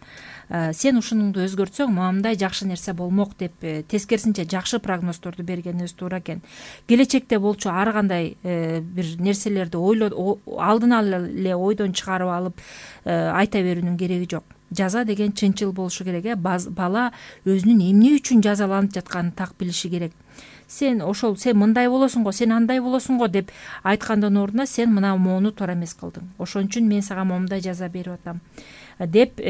сен ушунуңду өзгөртсөң мындай жакшы нерсе болмок деп тескерисинче жакшы прогноздорду бергенибиз туура экен. Келечекте болчу ар кандай бир нерселерди алдын ала эле ойдон чыгарып алып айта берүүнүн кереги жок. Жаза деген чынчыл болушу керек. Бала өзүнүн эмне үчүн жазаланып жатканын так билиши керек. Сен мындай болосуң го, сен андай болосуң го деп айткандын ордуна сен мына моуну туура эмес кылдың. Ошон үчүн мен сага момундай жаза берип атам деп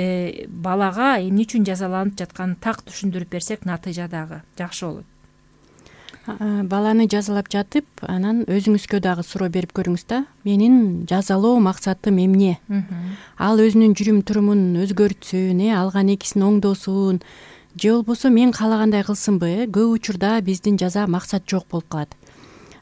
балага эмне үчүн жазаланып жатканын так түшүндүрүп берсек, натыйжа дагы жакшы болот. Баланы жазалап жатып, анан өзүңүзгө дагы суроо берип көрүңүз да. Менин жазалоо максатым эмне? Ал өзүнүн жүрүм турумун өзгөртсүн, алган экисин оңдосун, же болбосо мен каалагандай кылсынбы? Көп учурда биздин жаза максат жок болуп калат.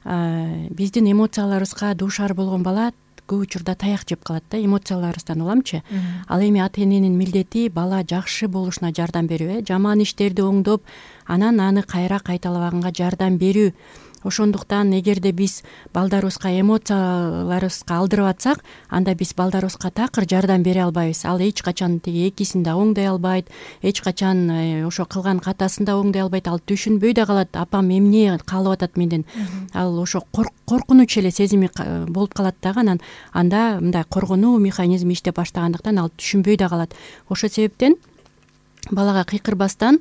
Биздин эмоцияларыбызга дуушар болгон бала көп учурда таяк жеп калат да, эмоцияларыбыздан уламчы. Ал эми ата эненин милдети бала жакшы болушуна жардам берүү, жаман иштерди оңдоп, анан аны кайра кайталабаганга жардам берүү. Ошондуктан эгерде биз балдарыбызга эмоцияларыбызга алдырып атсак, анда биз балдарыбызга такыр жардам бере албайбыз. Ал эч качан тиги экисин да оңдой албайт, эч качан ошо кылган катасын да оңдой албайт. Ал түшүнбөй да калат, апам эмне каалап атат менден. Ал ошо коркунуч эле сезими болуп калат дагы, анан анда мындай коргонуу механизми иштеп баштагандыктан ал түшүнбөй да калат. Ошол себептен балага кыйкырбастан,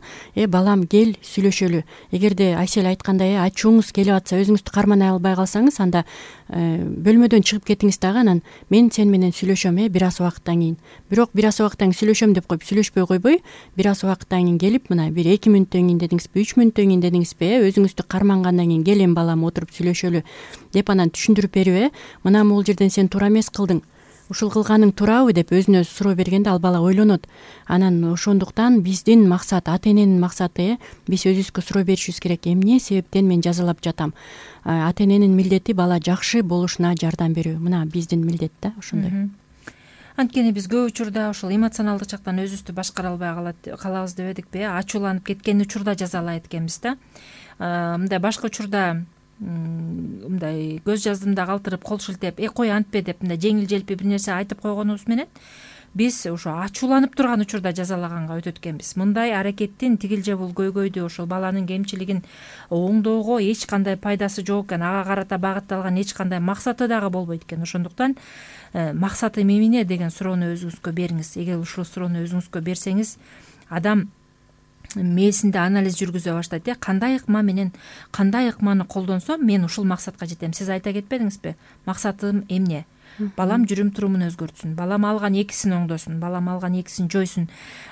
балам кел сүйлөшөлү. Эгерде Айсел айткандай ачууңуз келип атса, өзүңүздү карманай албай калсаңыз, анда бөлмөдөн чыгып кетиңиз дагы, анан мен сен менен сүйлөшөм бир аз убакыттан кийин. Бирок бир аз убакыттан кийин сүйлөшөм деп коюп сүйлөшпөй койбой, бир аз убакыттан кийин келип, мына бир 2 мүнөттөн кийин дедиңизби, 3 мүнөттөн кийин дедиңизби, өзүңүздү кармангандан кийин кел эми балам отуруп сүйлөшөлү деп анан түшүндүрүп берүү. Мына могул жерден сен туура эмес кылдың, ушул кылганың туурабы деп өзүнө суроо бергенде ал бала ойлонот. Анан ошондуктан биздин максат, ата эненин максаты, биз өзүбүзгө суроо беришибиз керек. Эмне себептен мен жазалап жатам? Ата эненин милдети бала жакшы болушуна жардам берүү. Мына биздин милдет да ошондой. Анткени биз көп учурда ушул эмоционалдык жактан өзүбүздү башкара албай калабыз дебедикпи? Ачууланып кеткен учурда жазалайт экенбиз да. Мындай башка учурда мындай көз жаздымда калтырып, кол шилтеп, кой антпе деп мындай жеңил желпи бир нерсе айтып койгонубуз менен биз ошо ачууланып турган учурда жазалаганга өтөт экенбиз. Мындай аракеттин тигил же бул көйгөйдү, ошол баланын кемчилигин оңдоого эч кандай пайдасы жок экен, ага карата багытталган эч кандай максаты дагы болбойт экен. Ошондуктан максатым эмне деген суроону өзүңүзгө бериңиз. Эгер ушул суроону өзүңүзгө берсеңиз, адам мээсинде анализ жүргүзө баштайт. Кандай ыкма менен кандай ыкманы колдонсом мен ушул максатка жетем. Сиз айта кетпедиңизби? Максатым эмне? Балам жүрүм турумун өзгөртсүн, балам алган экисин оңдосун, балам алган экисин жойсун,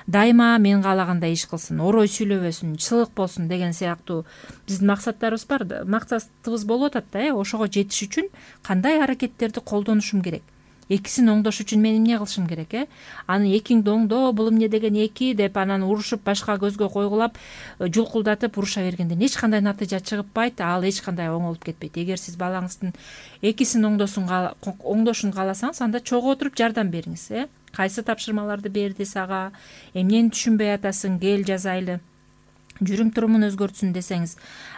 дайыма мен каалагандай иш кылсын, орой сүйлөбөсүн, чылык болсун деген сыяктуу биздин максаттарыбыз бар, максатыбыз болуп атат да. Ошого жетиш үчүн кандай аракеттерди колдонушум керек? Экисин оңдош үчүн мен эмне кылышым керек? Аны экиңди оңдо, бул эмне деген эки деп анан урушуп башка көзгө койгулап, жулкулдатып уруша бергенден эч кандай натыйжа чыгыппайт, ал эч кандай оңолуп кетпейт. Эгер сиз балаңыздын экисин оңдошун кааласаңыз, анда чогуу отуруп жардам бериңиз. Кайсы тапшырмаларды берди сага, эмнени түшүнбөй атасың, кел жазайлы. Жүрүм турумун өзгөртсүн десеңиз,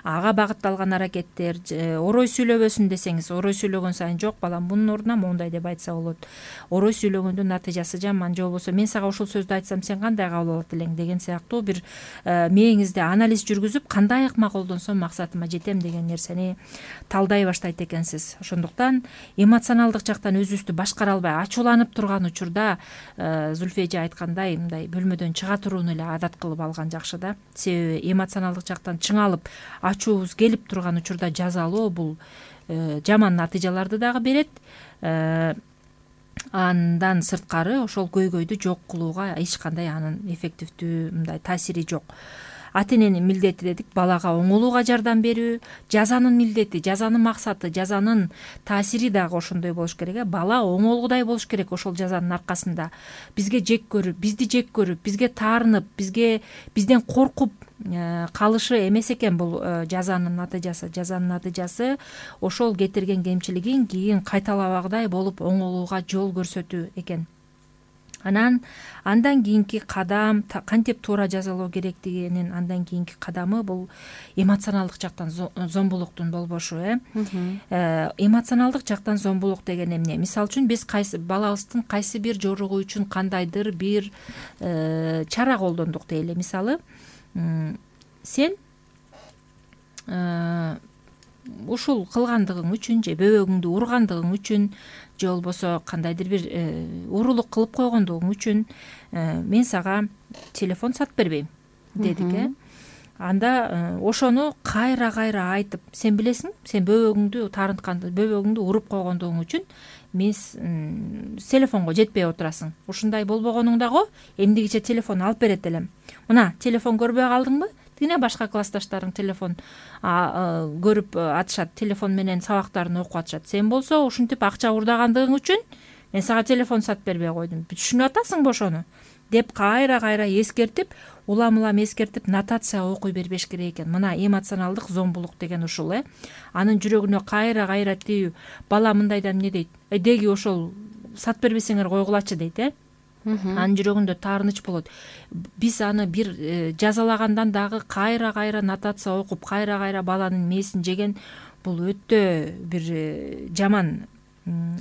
ага багытталган аракеттер, орой сүйлөбөсүн десеңиз, орой сүйлөгөн сайын жок, балам бунун ордуна моундай деп айтса болот. Орой сүйлөгөндүн натыйжасы жаман, же болбосо мен сага ушул сөздү айтсам сен кандай кабыл алат элең деген сыяктуу бир мээңизде анализ жүргүзүп, кандай ыкма колдонсом максатыма жетем деген нерсени талдай баштайт экенсиз. Ошондуктан эмоционалдык жактан өзүбүздү башкара албай ачууланып турган учурда Зүлфия эже айткандай, мындай бөлмөдөн чыга турууну эле адат кылып алган жакшы да. Себеби эмоционалдык жактан чыңалып, ачуубуз келип турган учурда жазалоо бул жаман натыйжаларды дагы берет. Андан сырткары ошол көйгөйдү жок кылууга эч кандай анын эффективдүү мындай таасири жок. Ата эненин милдети дедик балага оңолууга жардам берүү, жазанын милдети, жазанын максаты, жазанын таасири дагы ошондой болуш керек. Бала оңолгудай болуш керек ошол жазанын аркасында. Бизге жек көрүп, бизди жек көрүп, бизге таарынып, бизден коркуп калышы эмес экен бул жазанын натыйжасы. Жазанын натыйжасы ошол кетирген кемчилигин кийин кайталабагыдай болуп оңолууга жол көрсөтүү экен. Андан кийинки кадам кантип туура жазалоо керектигинин андан кийинки кадамы бул эмоционалдык жактан зомбулуктун болбошу. Эмоционалдык жактан зомбулук деген эмне? Мисалы үчүн биз балабыздын кайсы бир жоругу үчүн кандайдыр бир чара колдондук дейли. Мисалы сен ушул кылгандыгың үчүн же бөбөгүңдү ургандыгың үчүн же болбосо кандайдыр бир уурулук кылып койгондугуң үчүн мен сага телефон сатып бербейм дедик. Анда ошону кайра айтып, сен билесиң, сен бөбөгүңдү таарынтканды, бөбөгүңдү уруп койгондугуң үчүн мен телефонго жетпей отурасың. Ушундай болбогонуңдагы эмдигиче телефон алып берет элем. Мына телефон көрбөй калдыңбы? Тигине башка классташтарың телефон көрүп атышат, телефон менен сабактарын окуп атышат. Сен болсо ушинтип акча урдагандыгың үчүн мен сага телефон сатып бербей койдум. Түшүнүп атасыңбы ошону? Деп кайра эскертип, улам эскертип нотация окуй бербеш керек экен. Мына эмоционалдык зомбулук деген ушул. Анын жүрөгүнө кайра тиүү. Бала мындайдан эмне дейт? Деги ошол сатып бербесеңер койгулачы дейт. Анын жүрөгүндө таарыныч болот. Биз аны бир жазалагандан дагы кайра нотация окуп, кайра баланын мээсин жеген бул өтө бир жаман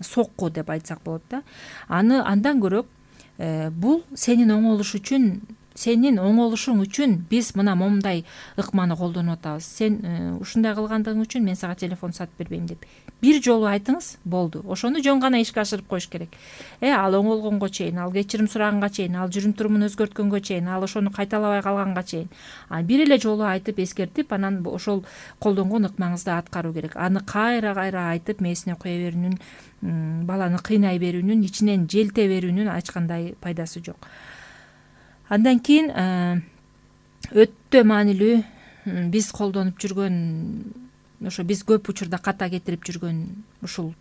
сокку деп айтсак болот да. Андан көрөк бул сенин оңолушуң үчүн биз мына момундай ыкманы колдонуп атабыз. Сен ушундай кылгандыгың үчүн мен сага телефон сатып бербейм деп бир жолу айтыңыз, болду. Ошону жөн гана ишке ашырып коюш керек. Ал оңолгонго чейин, ал кечирим сураганга чейин, ал жүрүм турумун өзгөрткөнгө чейин, ал ошону кайталабай калганга чейин бир эле жолу айтып эскертип, анан ошол колдонгон ыкмаңызды аткаруу керек. Аны кайра айтып мээсине кое берүүнүн, баланы кыйнай берүүнүн, ичинен желте берүүнүн эч кандай пайдасы жок. Андан кийин өтө маанилүү биз колдонуп жүргөн, ошо биз көп учурда ката кетирип жүргөн ушул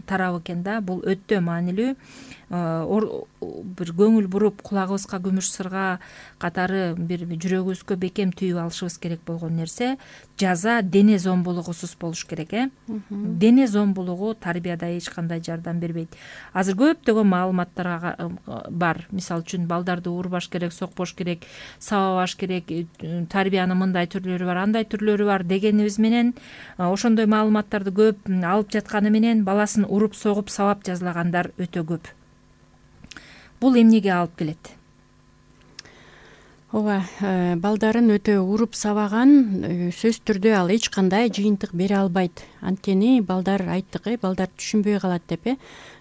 тарап экен да. Бул өтө маанилүү. Бир көңүл буруп, кулагыбызга күмүш сырга катары бир жүрөгүбүзгө бекем түйүп алышыбыз керек болгон нерсе жаза дене зомбулугусуз болуш керек. Дене зомбулугу тарбияда эч кандай жардам бербейт. Азыр көптөгөн маалыматтар бар. Мисалы үчүн балдарды урбаш керек, сокпош керек, сабабаш керек, тарбиянын мындай түрлөрү бар, андай түрлөрү бар дегенибиз менен ошондой маалыматтарды көп алып жатканы менен баласын уруп, согуп, сабап жазалагандар өтө көп. Бул эмнеге алып келет? Ооба, балдарын өтө уруп сабаган сөзсүз түрдө ал эч кандай жыйынтык бере албайт. Анткени балдар айттык, балдар түшүнбөй калат деп.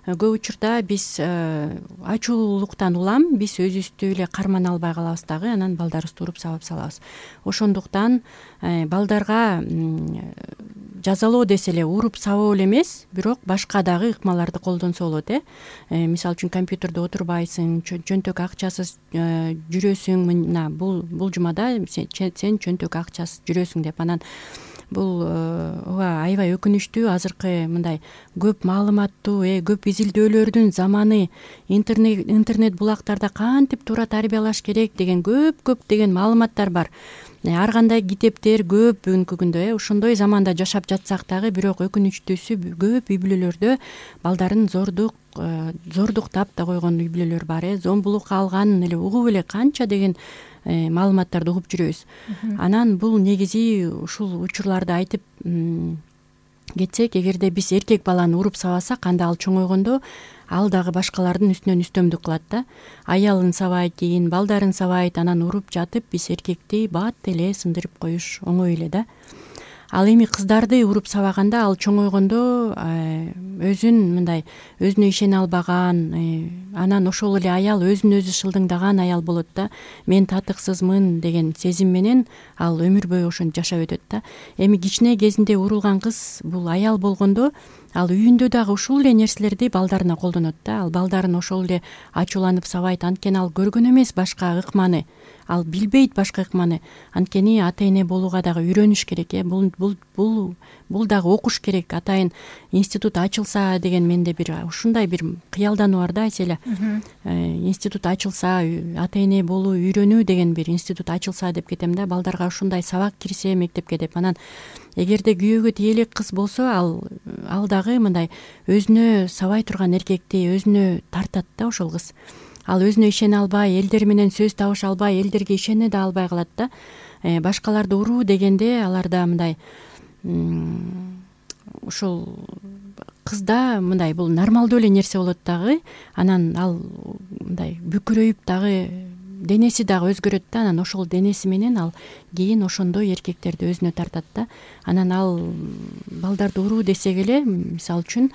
Көп учурда биз ачуулуктан улам биз өзүбүздү эле кармана албай калабыз дагы, анан балдарыбызды уруп сабап салабыз. Ошондуктан балдарга жазалоо десе эле уруп сабоо эле эмес, бирок башка дагы ыкмаларды колдонсо болот. Мисалы үчүн компьютерде отурбайсың, чөнтөк акчасыз жүрөсүң, мына бул жумада сен чөнтөк акчасыз жүрөсүң деп. Анан бул ооба аябай өкүнүчтүү. Азыркы мындай көп маалыматтуу, көп изилдөөлөрдүн заманы, интернет булактарда кантип туура тарбиялаш керек деген көп деген маалыматтар бар. Ар кандай китептер көп бүгүнкү күндө. Ошондой заманда жашап жатсак дагы, бирок өкүнүчтүүсү көп үй бүлөлөрдө балдарын зордуктап да койгон үй бүлөлөр бар. Зомбулукка алганын эле угуп эле канча деген маалыматтарды угуп жүрөбүз. Анан бул негизи ушул учурларды айтып кетсек, эгерде биз эркек баланы уруп сабасак, анда ал чоңойгондо ал дагы башкалардын үстүнөн үстөмдүк кылат да. Аялын сабайт, кийин балдарын сабайт, анан уруп жатып биз эркекти бат эле сындырып коюш оңой эле да. Ал эми кыздарды уруп сабаганда ал чоңойгондо өзүнө ишене албаган, анан ошол эле аял өзүн өзү шылдыңдаган аял болот да. Мен татыксызмын деген сезим менен ал өмүр бою ошентип жашап өтөт да. Эми кичине кезинде урулган кыз бул аял болгондо ал үйүндө дагы ушул эле нерселерди балдарына колдонот да. Ал балдарын ошол эле ачууланып сабайт, анткени ал көргөн эмес башка ыкманы, ал билбейт башка ыкманы. Анткени ата эне болууга дагы үйрөнүш керек. Бул дагы окуш керек. Атайын институт ачылса деген менде бир ушундай бир кыялдануу бар да, Айселя. Институт ачылса, ата эне болуу үйрөнүү деген бир институт ачылса деп кетем да. Балдарга ушундай сабак кирсе мектепке деп. Анан эгерде күйөөгө тие элек кыз болсо, ал дагы мындай өзүнө сабай турган эркекти өзүнө тартат да ошол кыз. Ал өзүнө ишене албай, элдер менен сөз табыша албай, элдерге ишене да албай калат да. Башкаларды уруу дегенде аларда мындай ушул кызда мындай бул нормалдуу эле нерсе болот дагы. Анан ал мындай бүкүрөйүп дагы денеси дагы өзгөрөт да. Анан ошол денеси менен ал кийин ошондой эркектерди өзүнө тартат да. Анан ал балдарды уруу десек эле, мисалы үчүн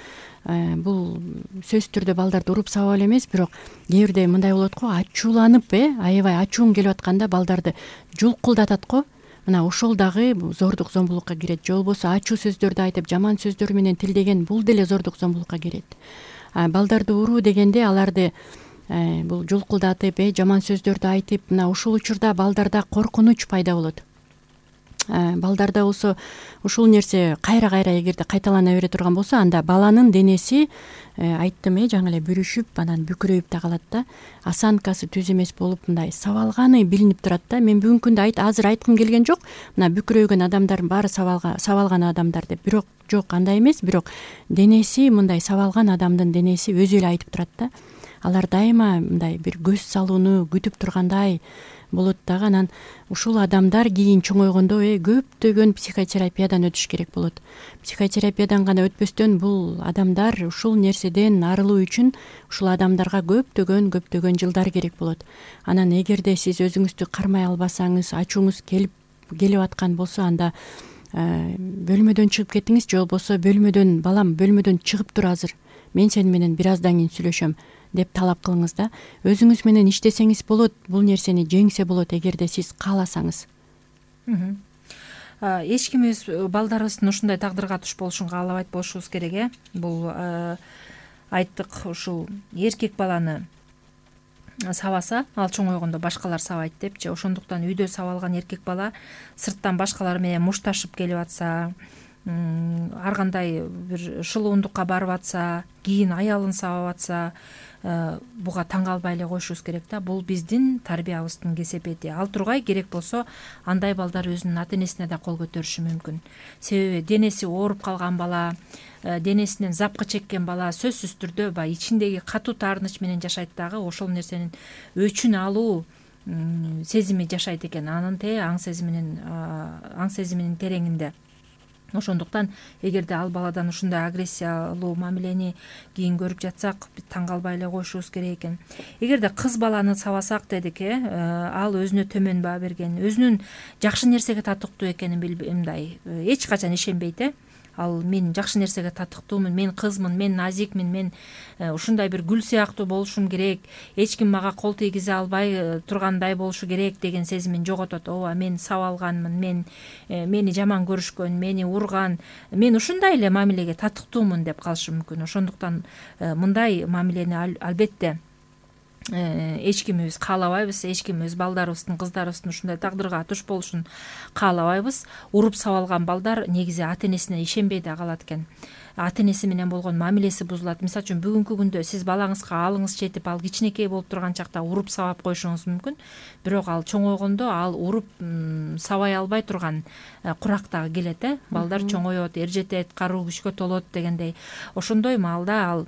бул сөзсүз түрдө балдарды уруп сабап эле эмес, бирок кээ бирде мындай болот го, ачууланып аябай ачуун келип атканда балдарды жулкулдатат го. Мына ошол дагы зордук зомбулукка кирет. Же болбосо ачуу сөздөрдү айтып, жаман сөздөр менен тилдеген, бул деле зордук зомбулукка кирет. Балдарды уруу дегенде аларды бул жулкулдатып, жаман сөздөрдү айтып, мына ушул учурда балдарда коркунуч пайда болот. Балдарда болсо ушул нерсе кайра эгерде кайталана бере турган болсо, анда баланын денеси айттым жаңы эле бүрүшүп, анан бүкүрөйүп да калат да. Осанкасы түз эмес болуп, мындай сабалганы билинип турат да. Мен бүгүнкү күндө азыр айткым келген жок, мына бүкүрөйгөн адамдардын баары сабалган адамдар деп. Бирок жок, андай эмес, бирок денеси мындай сабалган адамдын денеси өзү эле айтып турат да. Алар дайыма мындай бир көз салууну күтүп тургандай болот дагы. Анан ушул адамдар кийин чоңойгондо көптөгөн психотерапиядан өтүш керек болот. Психотерапиядан гана өтпөстөн бул адамдар ушул нерседен арылуу үчүн ушул адамдарга көптөгөн жылдар керек болот. Анан эгерде сиз өзүңүздү кармай албасаңыз, ачууңуз келип аткан болсо, анда бөлмөдөн чыгып кетиңиз. Же болбосо балам бөлмөдөн чыгып тур, азыр мен сени менен бир аздан кийин сүйлөшөм деп талап кылыңыз да. Өзүңүз менен иштесеңиз болот, бул нерсени жеңсе болот эгерде сиз кааласаңыз. Эч ким өз балдарыбыздын ушундай тагдырга туш болушун каалабайт болушубуз керек. Бул айттык, ушул эркек баланы сабаса, ал чоңойгондо башкалар сабайт депчи. Ошондуктан үйдө сабалган эркек бала сырттан башкалар менен мушташып келип атса, ар кандай бир шылуундукка барып атса, кийин аялын сабап атса, буга таң калбай эле коюшубуз керек да. Бул биздин тарбиябыздын кесепети. Ал тургай керек болсо, андай балдар өзүнүн ата энесине да кол көтөрүшү мүмкүн. Себеби денеси ооруп калган бала, денесинен запкы чеккен бала сөзсүз түрдө баягы ичиндеги катуу таарыныч менен жашайт дагы, ошол нерсенин өчүн алуу сезими жашайт экен. Анын аң сезиминин тереңинде. Ошондуктан эгерде ал баладан ушундай агрессиялуу мамилени кийин көрүп жатсак, таң калбай эле коюшубуз керек экен. Эгерде кыз баланы сабасак дедик, ал өзүнө төмөн баа берген, өзүнүн жакшы нерсеге татыктуу экенин мындай эч качан ишенбейт. Ал мен жакшы нерсеге татыктуумун, мен кызмын, мен назикмин, мен ушундай бир гүл сыяктуу болушум керек, эч ким мага кол тийгизе албай тургандай болушу керек деген сезимин жоготот. Ооба, мен сабалганмын, мени жаман көрүшкөн, мени урган, мен ушундай эле мамилеге татыктуумун деп калышы мүмкүн. Ошондуктан мындай мамилени албетте эч кимибиз каалабайбыз, эч ким өз балдарыбыздын, кыздарыбыздын ушундай тагдырга туш болушун каалабайбыз. Уруп сабалган балдар негизи ата энесине ишенбей да калат экен. Ата энеси менен болгон мамилеси бузулат. Мисалы үчүн бүгүнкү күндө сиз балаңызга алыңыз жетип, ал кичинекей болуп турган чакта уруп сабап коюшуңуз мүмкүн. Бирок ал чоңойгондо ал уруп сабай албай турган курак дагы келет. Балдар чоңоет, эржетет, каруу күчкө толот дегендей. Ошондой маалда ал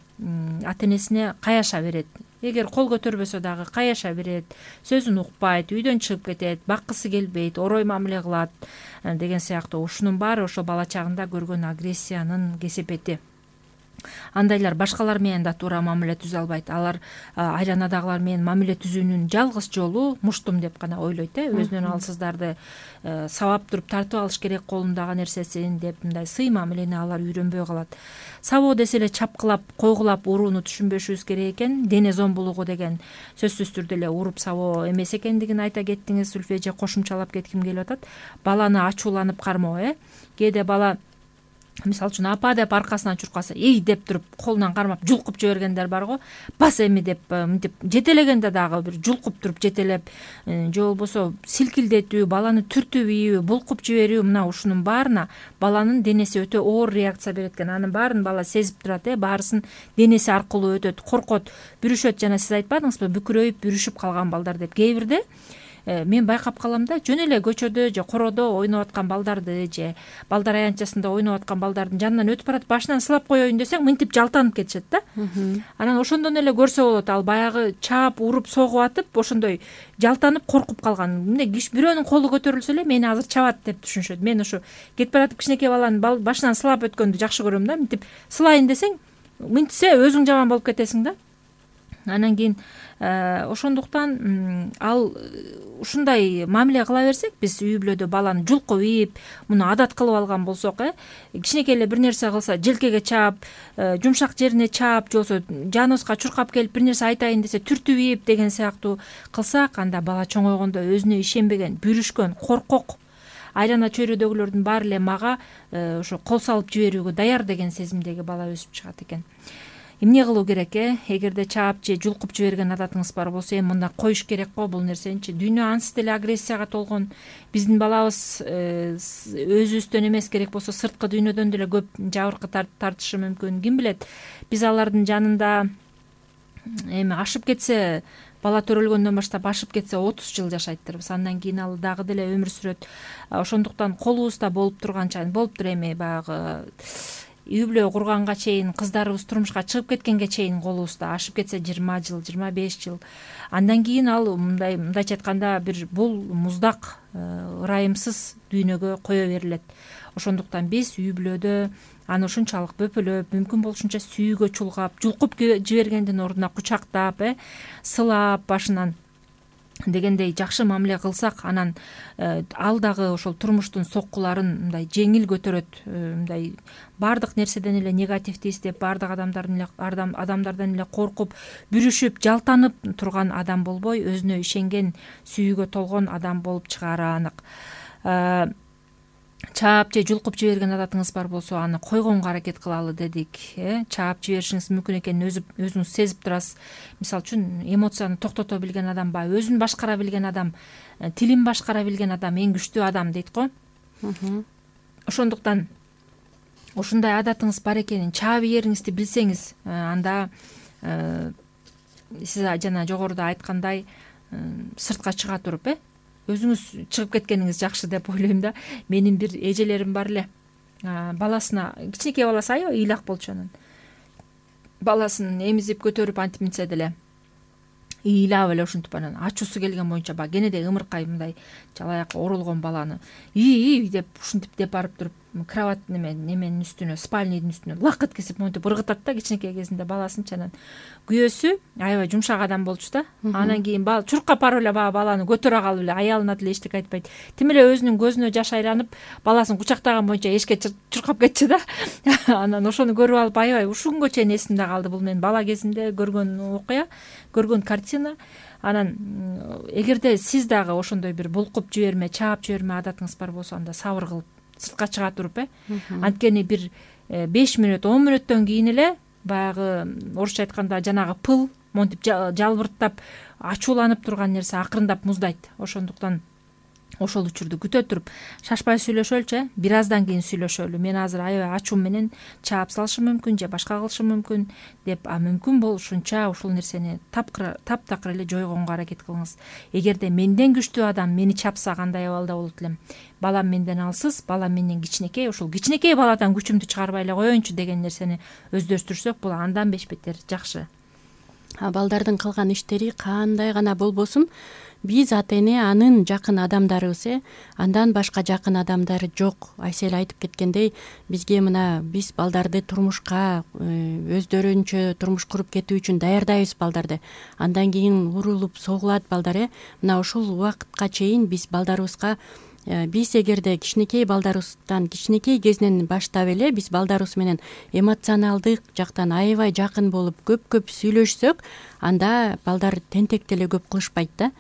ата энесине каяша берет. Эгер кол көтөрбөсө дагы каяша берет, сөзүн укпайт, үйдөн чыгып кетет, баккысы келбейт, орой мамиле кылат деген сыяктуу. Ушунун баары ошо бала чагында көргөн агрессиянын кесепети. Андайлар башкалар менен да туура мамиле түзө албайт. Алар айланадагылар менен мамиле түзүүнүн жалгыз жолу муштум деп гана ойлойт. Өзүнөн алсыздарды сабап туруп тартып алыш керек колундагы нерсесин деп, мындай сый мамилени алар үйрөнбөй калат. Сабоо десе эле чапкылап, койгулап урууну түшүнбөшүбүз керек экен. Дене зомбулугу деген сөзсүз түрдө эле уруп сабоо эмес экендигин айта кеттиңиз, Зүлфия эже. Кошумчалап кетким келип атат. Баланы ачууланып кармоо. Кээде бала мисалы үчүн апа деп аркасынан чуркаса эй деп туруп колунан кармап жулкуп жибергендер бар го. Бас эми деп мынтип жетелегенде дагы бир жулкуп туруп жетелеп же болбосо силкилдетүү, баланы түртүп ийүү, булкуп жиберүү, мына ушунун баарына баланын денеси өтө оор реакция берет экен. Анын баарын бала сезип турат, баарысын денеси аркылуу өтөт, коркот, бүрүшөт. Жана сиз айтпадыңызбы, бүкүрөйүп, бүрүшүп калган балдар деп. Кээ бирде мен байкап калам да, жөн эле көчөдө же короодо ойноп аткан балдарды же балдар аянтчасында ойноп аткан балдардын жанынан өтүп баратып башынан сылап коеюн десең мынтип жалтанып кетишет да. Анан ошондон эле көрсө болот, ал баягы чаап уруп согуп атып ошондой жалтанып коркуп калган. Мындай бирөөнүн колу көтөрүлсө эле мени азыр чабат деп түшүнүшөт. Мен ошо кетип баратып кичинекей баланын башынан сылап өткөндү жакшы көрөм да. Мынтип сылайын десең мынтсе өзүң жаман болуп кетесиң да. Анан кийин ошондуктан ал ушундай мамиле кыла берсек, биз үй бүлөдө баланы жулкуп ийип, муну адат кылып алган болсок, кичинекей эле бир нерсе кылса желкеге чаап, жумшак жерине чаап, же болбосо жаныбызга чуркап келип бир нерсе айтайын десе түртүп ийип деген сыяктуу кылсак, анда бала чоңойгондо өзүнө ишенбеген, бүрүшкөн, коркок, айлана чөйрөдөгүлөрдүн баары эле мага ошо кол салып жиберүүгө даяр деген сезимдеги бала өсүп чыгат экен. Эмне кылуу керек? Эгерде чаап же жулкуп жиберген адатыңыз бар болсо, эми мындай коюш керек го бул нерсеничи. Дүйнө ансыз деле агрессияга толгон. Биздин балабыз өзүбүздөн эмес, керек болсо сырткы дүйнөдөн деле көп жабыркы тартышы мүмкүн. Ким билет, биз алардын жанында эми ашып кетсе, бала төрөлгөндөн баштап ашып кетсе 30 жыл жашайттырбыз. Андан кийин ал дагы деле өмүр сүрөт. Ошондуктан колубузда болуп турганча, болуптур эми баягы үй бүлө курганга чейин, кыздарыбыз турмушка чыгып кеткенге чейин колубузда, ашып кетсе 20 жыл, 25 жыл. Андан кийин ал мындайча айтканда бир бул муздак, ырайымсыз дүйнөгө кое берилет. Ошондуктан биз үй бүлөдө аны ушунчалык бөпөлөп, мүмкүн болушунча сүйүүгө чулгап, жулкуп жибергендин ордуна кучактап, сылап башынан дегендей жакшы мамиле кылсак, анан ал дагы ошол турмуштун соккуларын мындай жеңил көтөрөт, мындай баардык нерседен эле негативди издеп, баардык адамдардан эле коркуп, бүрүшүп, жалтанып турган адам болбой, өзүнө ишенген, сүйүүгө толгон адам болуп чыгаары анык. Чаап же жулкуп жиберген адатыңыз бар болсо, аны койгонго аракет кылалы дедик. Чаап жиберишиңиз мүмкүн экенин өзүңүз сезип турасыз. Мисалы үчүн эмоцияны токтото билген адам, өзүн башкара билген адам, тилин башкара билген адам эң күчтүү адам дейт го. Ошондуктан ушундай адатыңыз бар экенин, чаап ийериңизди билсеңиз, анда сиз жана жогоруда айткандай сыртка чыга туруп, өзүңүз чыгып кеткениңиз жакшы деп ойлойм да. Менин бир эжелерим бар эле, баласына, кичинекей баласы аябай ыйлак болчу, анан баласын эмизип көтөрүп антип минсе деле ыйлап эле ушинтип анан ачуусу келген боюнча баягы кенедей ымыркай мындай жалаякка оролгон баланы деп ушинтип деп барып туруп кровать неменин үстүнө, спальныйдын үстүнө лак эткизип монтип ыргытат да кичинекей кезинде баласынчы. Анан күйөөсү аябай жумшак адам болчу да. Анан кийин чуркап барып эле баягы баланы көтөрө калып эле, аялына деле эчтеке айтпайт. Тим эле өзүнүн көзүнө жаш айланып, баласын кучактаган боюнча эшикке чуркап кетчү да. Анан ошону көрүп алып аябай ушунгө чейин эсимде калды. Бул мен бала кезимде көргөн окуя, көргөн картина. Анан эгерде сиз дагы ошондой бир булкуп жиберме, чаап жиберме адатыңыз бар болсо, анда сабыр кылып сыртка чыга туруп, анткени бир 5 мүнөт, 10 мүнөттөн кийин эле баягы орусча айтканда жанагы пыл монтип жалбырттап, ачууланып турган нерсе акырындап муздайт. Ошондуктан ошол учурду күтө туруп шашпай сүйлөшөлүчү, бир аздан кийин сүйлөшөлү. Мен азыр аябай ачуум менен чаап салышым мүмкүн же башка кылышым мүмкүн деп, мүмкүн болушунча ушул нерсени таптакыр эле жойгонго аракет кылыңыз. Эгерде менден күчтүү адам мени чапса кандай абалда болот элем? Балам менден алсыз, балам менден кичинекей, ошол кичинекей баладан күчүмдү чыгарбай эле коеюнчу деген нерсени өздөштүрсөк, бул андан бешбетер жакшы. Балдардын кылган иштери кандай гана болбосун, биз ата эне анын жакын адамдарыбыз, андан башка жакын адамдары жок. Айсел айтып кеткендей, бизге мына биз балдарды турмушка өздөрүнчө турмуш куруп кетүү үчүн даярдайбыз балдарды. Андан кийин урулуп согулат балдар. Мына ушул убакытка чейин биз балдарыбызга, биз эгерде кичинекей балдарыбыздан, кичинекей кезинен баштап эле биз балдарыбыз менен эмоционалдык жактан аябай жакын болуп, көп сүйлөшсөк, анда балдар тентек деле көп кылышпайт да.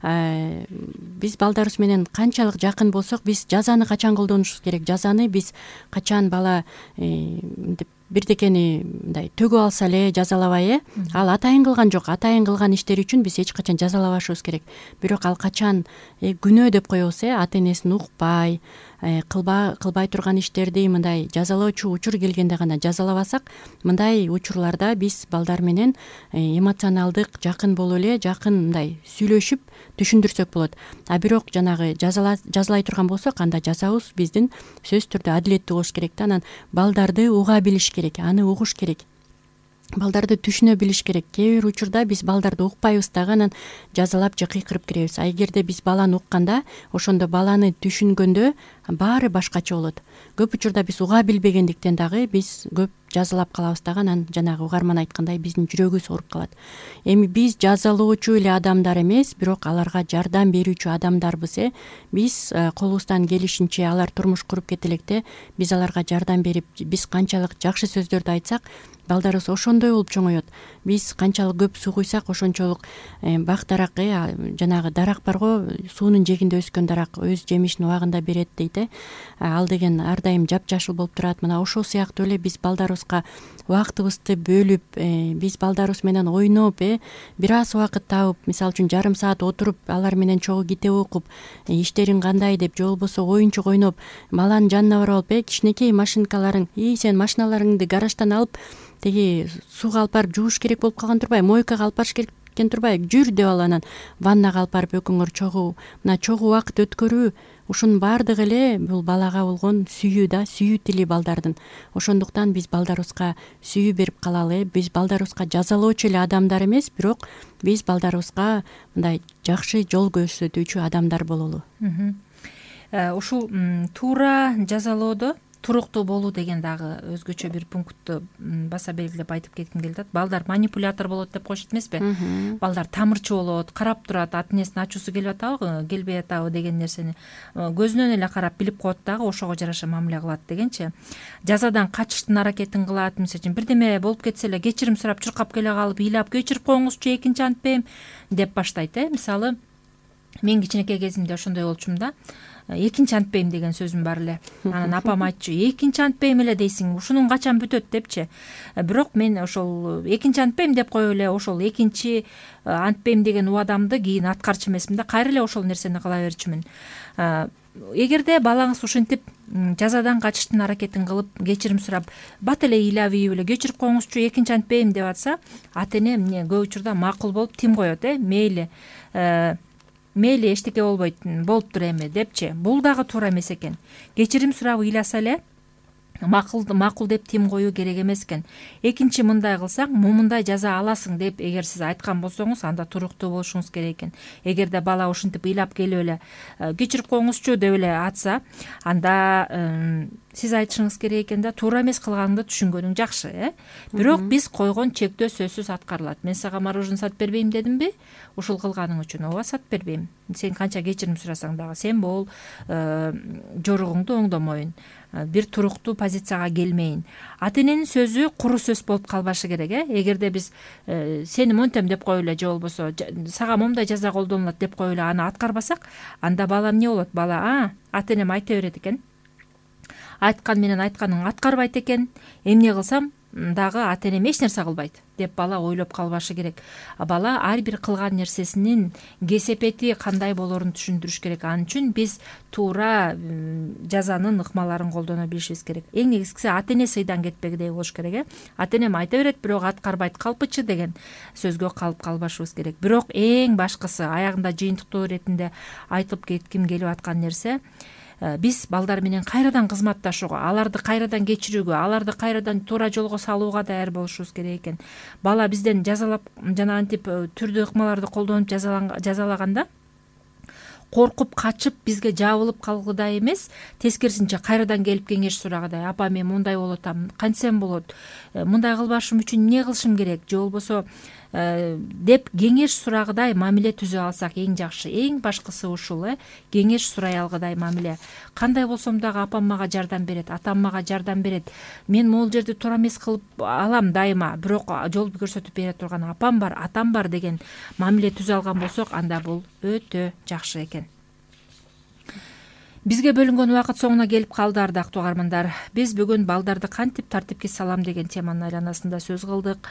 биз балдарыбыз менен канчалык жакын болсок, биз жазаны качан колдонушубуз керек, жазаны биз качан бала мынтип бирдекени мындай төгүп алса эле жазалабай, ал атайын кылган жок, атайын кылган иштери үчүн биз эч качан жазалабашыбыз керек. Бирок ал качан күнөө деп коебуз, ата энесин укпай, кылбай турган иштерди мындай жазалоочу учур келгенде гана жазалабасак, мындай учурларда биз балдар менен эмоционалдык жакын болуп эле, жакын мындай сүйлөшүп түшүндүрсөк болот. А бирок жанагы жазалай турган болсок, анда жазабыз биздин сөзсүз түрдө адилеттүү болуш керек да. Анан балдарды уга билиш керек, аны угуш керек. Балдарды түшүнө билиш керек. Кээ бир учурда биз балдарды укпайбыз дагы, анан жазалап же кыйкырып киребиз. А эгерде биз баланы укканда, ошондо баланы түшүнгөндө баары башкача болот. Көп учурда биз уга билбегендиктен дагы биз көп жазалап калабыз дагы, анан жанагы угарман айткандай биздин жүрөгүбүз ооруп калат. Эми биз жазалоочу эле адамдар эмес, бирок аларга жардам берүүчү адамдарбыз. Биз колубуздан келишинче алар турмуш куруп кете электе биз аларга жардам берип, биз канчалык жакшы сөздөрдү айтсак, балдарыбыз ошондой болуп чоңоет. Биз канчалык көп суу куйсак, ошончолук бак дарак, жанагы дарак барго, суунун жээгинде өскөн дарак өз жемишин убагында берет дейт. Ал деген ар дайым жапжашыл болуп турат. Мына ошол сыяктуу эле биз балдарыбызга убактыбызды бөлүп, биз балдарыбыз менен ойноп, бир аз убакыт табып, мисалы үчүн жарым саат отуруп, алар менен чогуу китеп окуп, иштериң кандай деп, же болбосо оюнчук ойноп, баланын жанына барып алып, кичинекей машинкаларың, сен машиналарыңды гараждан алып, теги сууга алып барып жууш керек болуп калган турбайбы, мойкага алып барыш керек турбайбы, жүр деп ал, анан ваннага алып барып экөөңөр чогуу, мына чогуу убакыт өткөрүү, ушунун баардыгы эле бул балага болгон сүйүү да, сүйүү тили балдардын. Ошондуктан биз балдарыбызга сүйүү берип калалы. Биз балдарыбызга жазалоочу эле адамдар эмес, бирок биз балдарыбызга мындай жакшы жол көрсөтүүчү адамдар бололу. Ушул туура жазалоодо туруктуу болуу деген дагы өзгөчө бир пунктту баса белгилеп айтып кетким келип атат. Балдар манипулятор болот деп коюшат эмеспи? Балдар тамырчы болот, карап турат, ата энесин ачуусу келип атабы, келбей атабы деген нерсени көзүнөн эле карап билип коет дагы, ошого жараша мамиле кылат дегенчи. Жазадан качыштын аракетин кылат. Мисалы үчүн бирдеме болуп кетсе эле кечирим сурап чуркап келе калып, ыйлап кечирип коюңузчу, экинчи антпейм деп баштайт. Мисалы, мен кичинекей кезимде ошондой болчумун да. Экинчи антпейм деген сөзүм бар эле. Анан апам айтчу, экинчи антпейм эле дейсиң, ушунун качан бүтөт депчи. Бирок мен ошол экинчи антпейм деп коюп эле ошол экинчи антпейм деген убадамды кийин аткарчу эмесмин да, кайра эле ошол нерсени кыла берчүмүн. Эгерде балаңыз ушинтип жазадан качыштын аракетин кылып, кечирим сурап, бат эле ыйлап ийип эле кечирип коюңузчу, экинчи антпейм деп атса, ата эне эмне көп учурда макул болуп тим коет. Мейли эчтеке болбойт, болуптур эми депчи. Бул дагы туура эмес экен. Кечирим сурап ыйласа эле макул деп тим коюу керек эмес экен. Экинчи мындай кылсаң, мындай жаза аласың деп эгер сиз айткан болсоңуз, анда туруктуу болушуңуз керек экен. Эгерде бала ушинтип ыйлап келип эле кечирип коюңузчу деп эле атса, анда сиз айтышыңыз керек экен да, туура эмес кылганыңды түшүнгөнүң жакшы. Бирок биз койгон чектөө сөзсүз аткарылат. Мен сага мороженое сатып бербейм дедимби? Ушул кылганың үчүн ооба сатып бербейм. Сен канча кечирим сурасаң дагы, сен бул жоругуңду оңдомойн, бир туруктуу позицияга келмейин. Ата эненин сөзү куру сөз болуп калбашы керек. Эгерде биз сени монтем деп коюп эле, же болбосо сага момундай жаза колдонулат деп коюп эле аны аткарбасак, анда бала эмне болот? Бала ата энем айта берет экен, айткан менен айтканын аткарбайт экен, эмне кылсам дагы ата энем эч нерсе кылбайт деп бала ойлоп калбашы керек. Бала ар бир кылган нерсесинин кесепети кандай болорун түшүндүрүш керек. Ал үчүн биз туура жазанын ыкмаларын колдоно билишибиз керек. Эң негизгиси ата эне сыйдан кетпегидей болуш керек. Ата энем айта берет, бирок аткарбайт калпычы деген сөзгө калып калбашыбыз керек. Бирок эң башкысы, аягында жыйынтыктоо иретинде айтып кетким келип аткан нерсе, биз балдар менен кайрадан кызматташууга, аларды кайрадан кечирүүгө, аларды кайрадан туура жолго салууга даяр болушубуз керек экен. Бала бизден жазалап, жана антип түрдүү ыкмаларды колдонуп жазалаганда коркуп качып бизге жабылып калгыдай эмес, тескерисинче кайрадан келип кеңеш сурагыдай: апа, мен мындай болуп атам, кантсем болот, мындай кылбашым үчүн эмне кылышым керек, же болбосо деп кеңеш сурагыдай мамиле түзүп алсак эң жакшы. Эң башкысы ушул, кеңеш сурай алгыдай мамиле. Кандай болсом дагы апам мага жардам берет, атам мага жардам берет, мен могул жерди туура эмес кылып алам дайыма, бирок жол көрсөтүп бере турган апам бар, атам бар деген мамиле түзүп алган болсок, анда бул өтө жакшы экен. Бизге бөлүнгөн убакыт соңуна келип калды, ардактуу угармандар. Биз бүгүн балдарды кантип тартипке салам деген теманын айланасында сөз кылдык.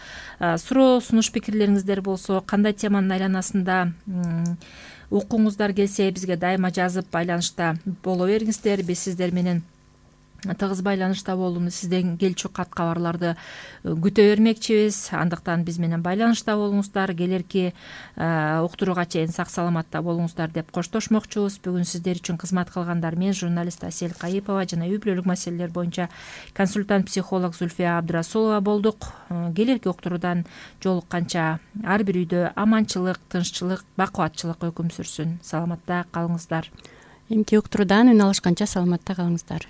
Суроо, сунуш, пикирлериңиздер болсо, кандай теманын айланасында укуңуздар келсе, бизге дайыма жазып байланышта боло бериңиздер. Биз сиздер менен тыгыз байланышта болууну, сизден келчү кат кабарларды күтө бермекчибиз. Андыктан биз менен байланышта болуңуздар, келерки уктурууга чейин сак саламатта болуңуздар деп коштошмокчубуз. Бүгүн сиздер үчүн кызмат кылгандар мен, журналист Асель Кайыпова жана үй бүлөлүк маселелер боюнча консультант психолог Зульфия Абдрасулова болдук. Келерки уктуруудан жолукканча ар бир үйдө аманчылык, тынччылык, бакубатчылык өкүм сүрсүн. Саламатта калыңыздар. Эмки уктуруудан үн алышканча саламатта калыңыздар.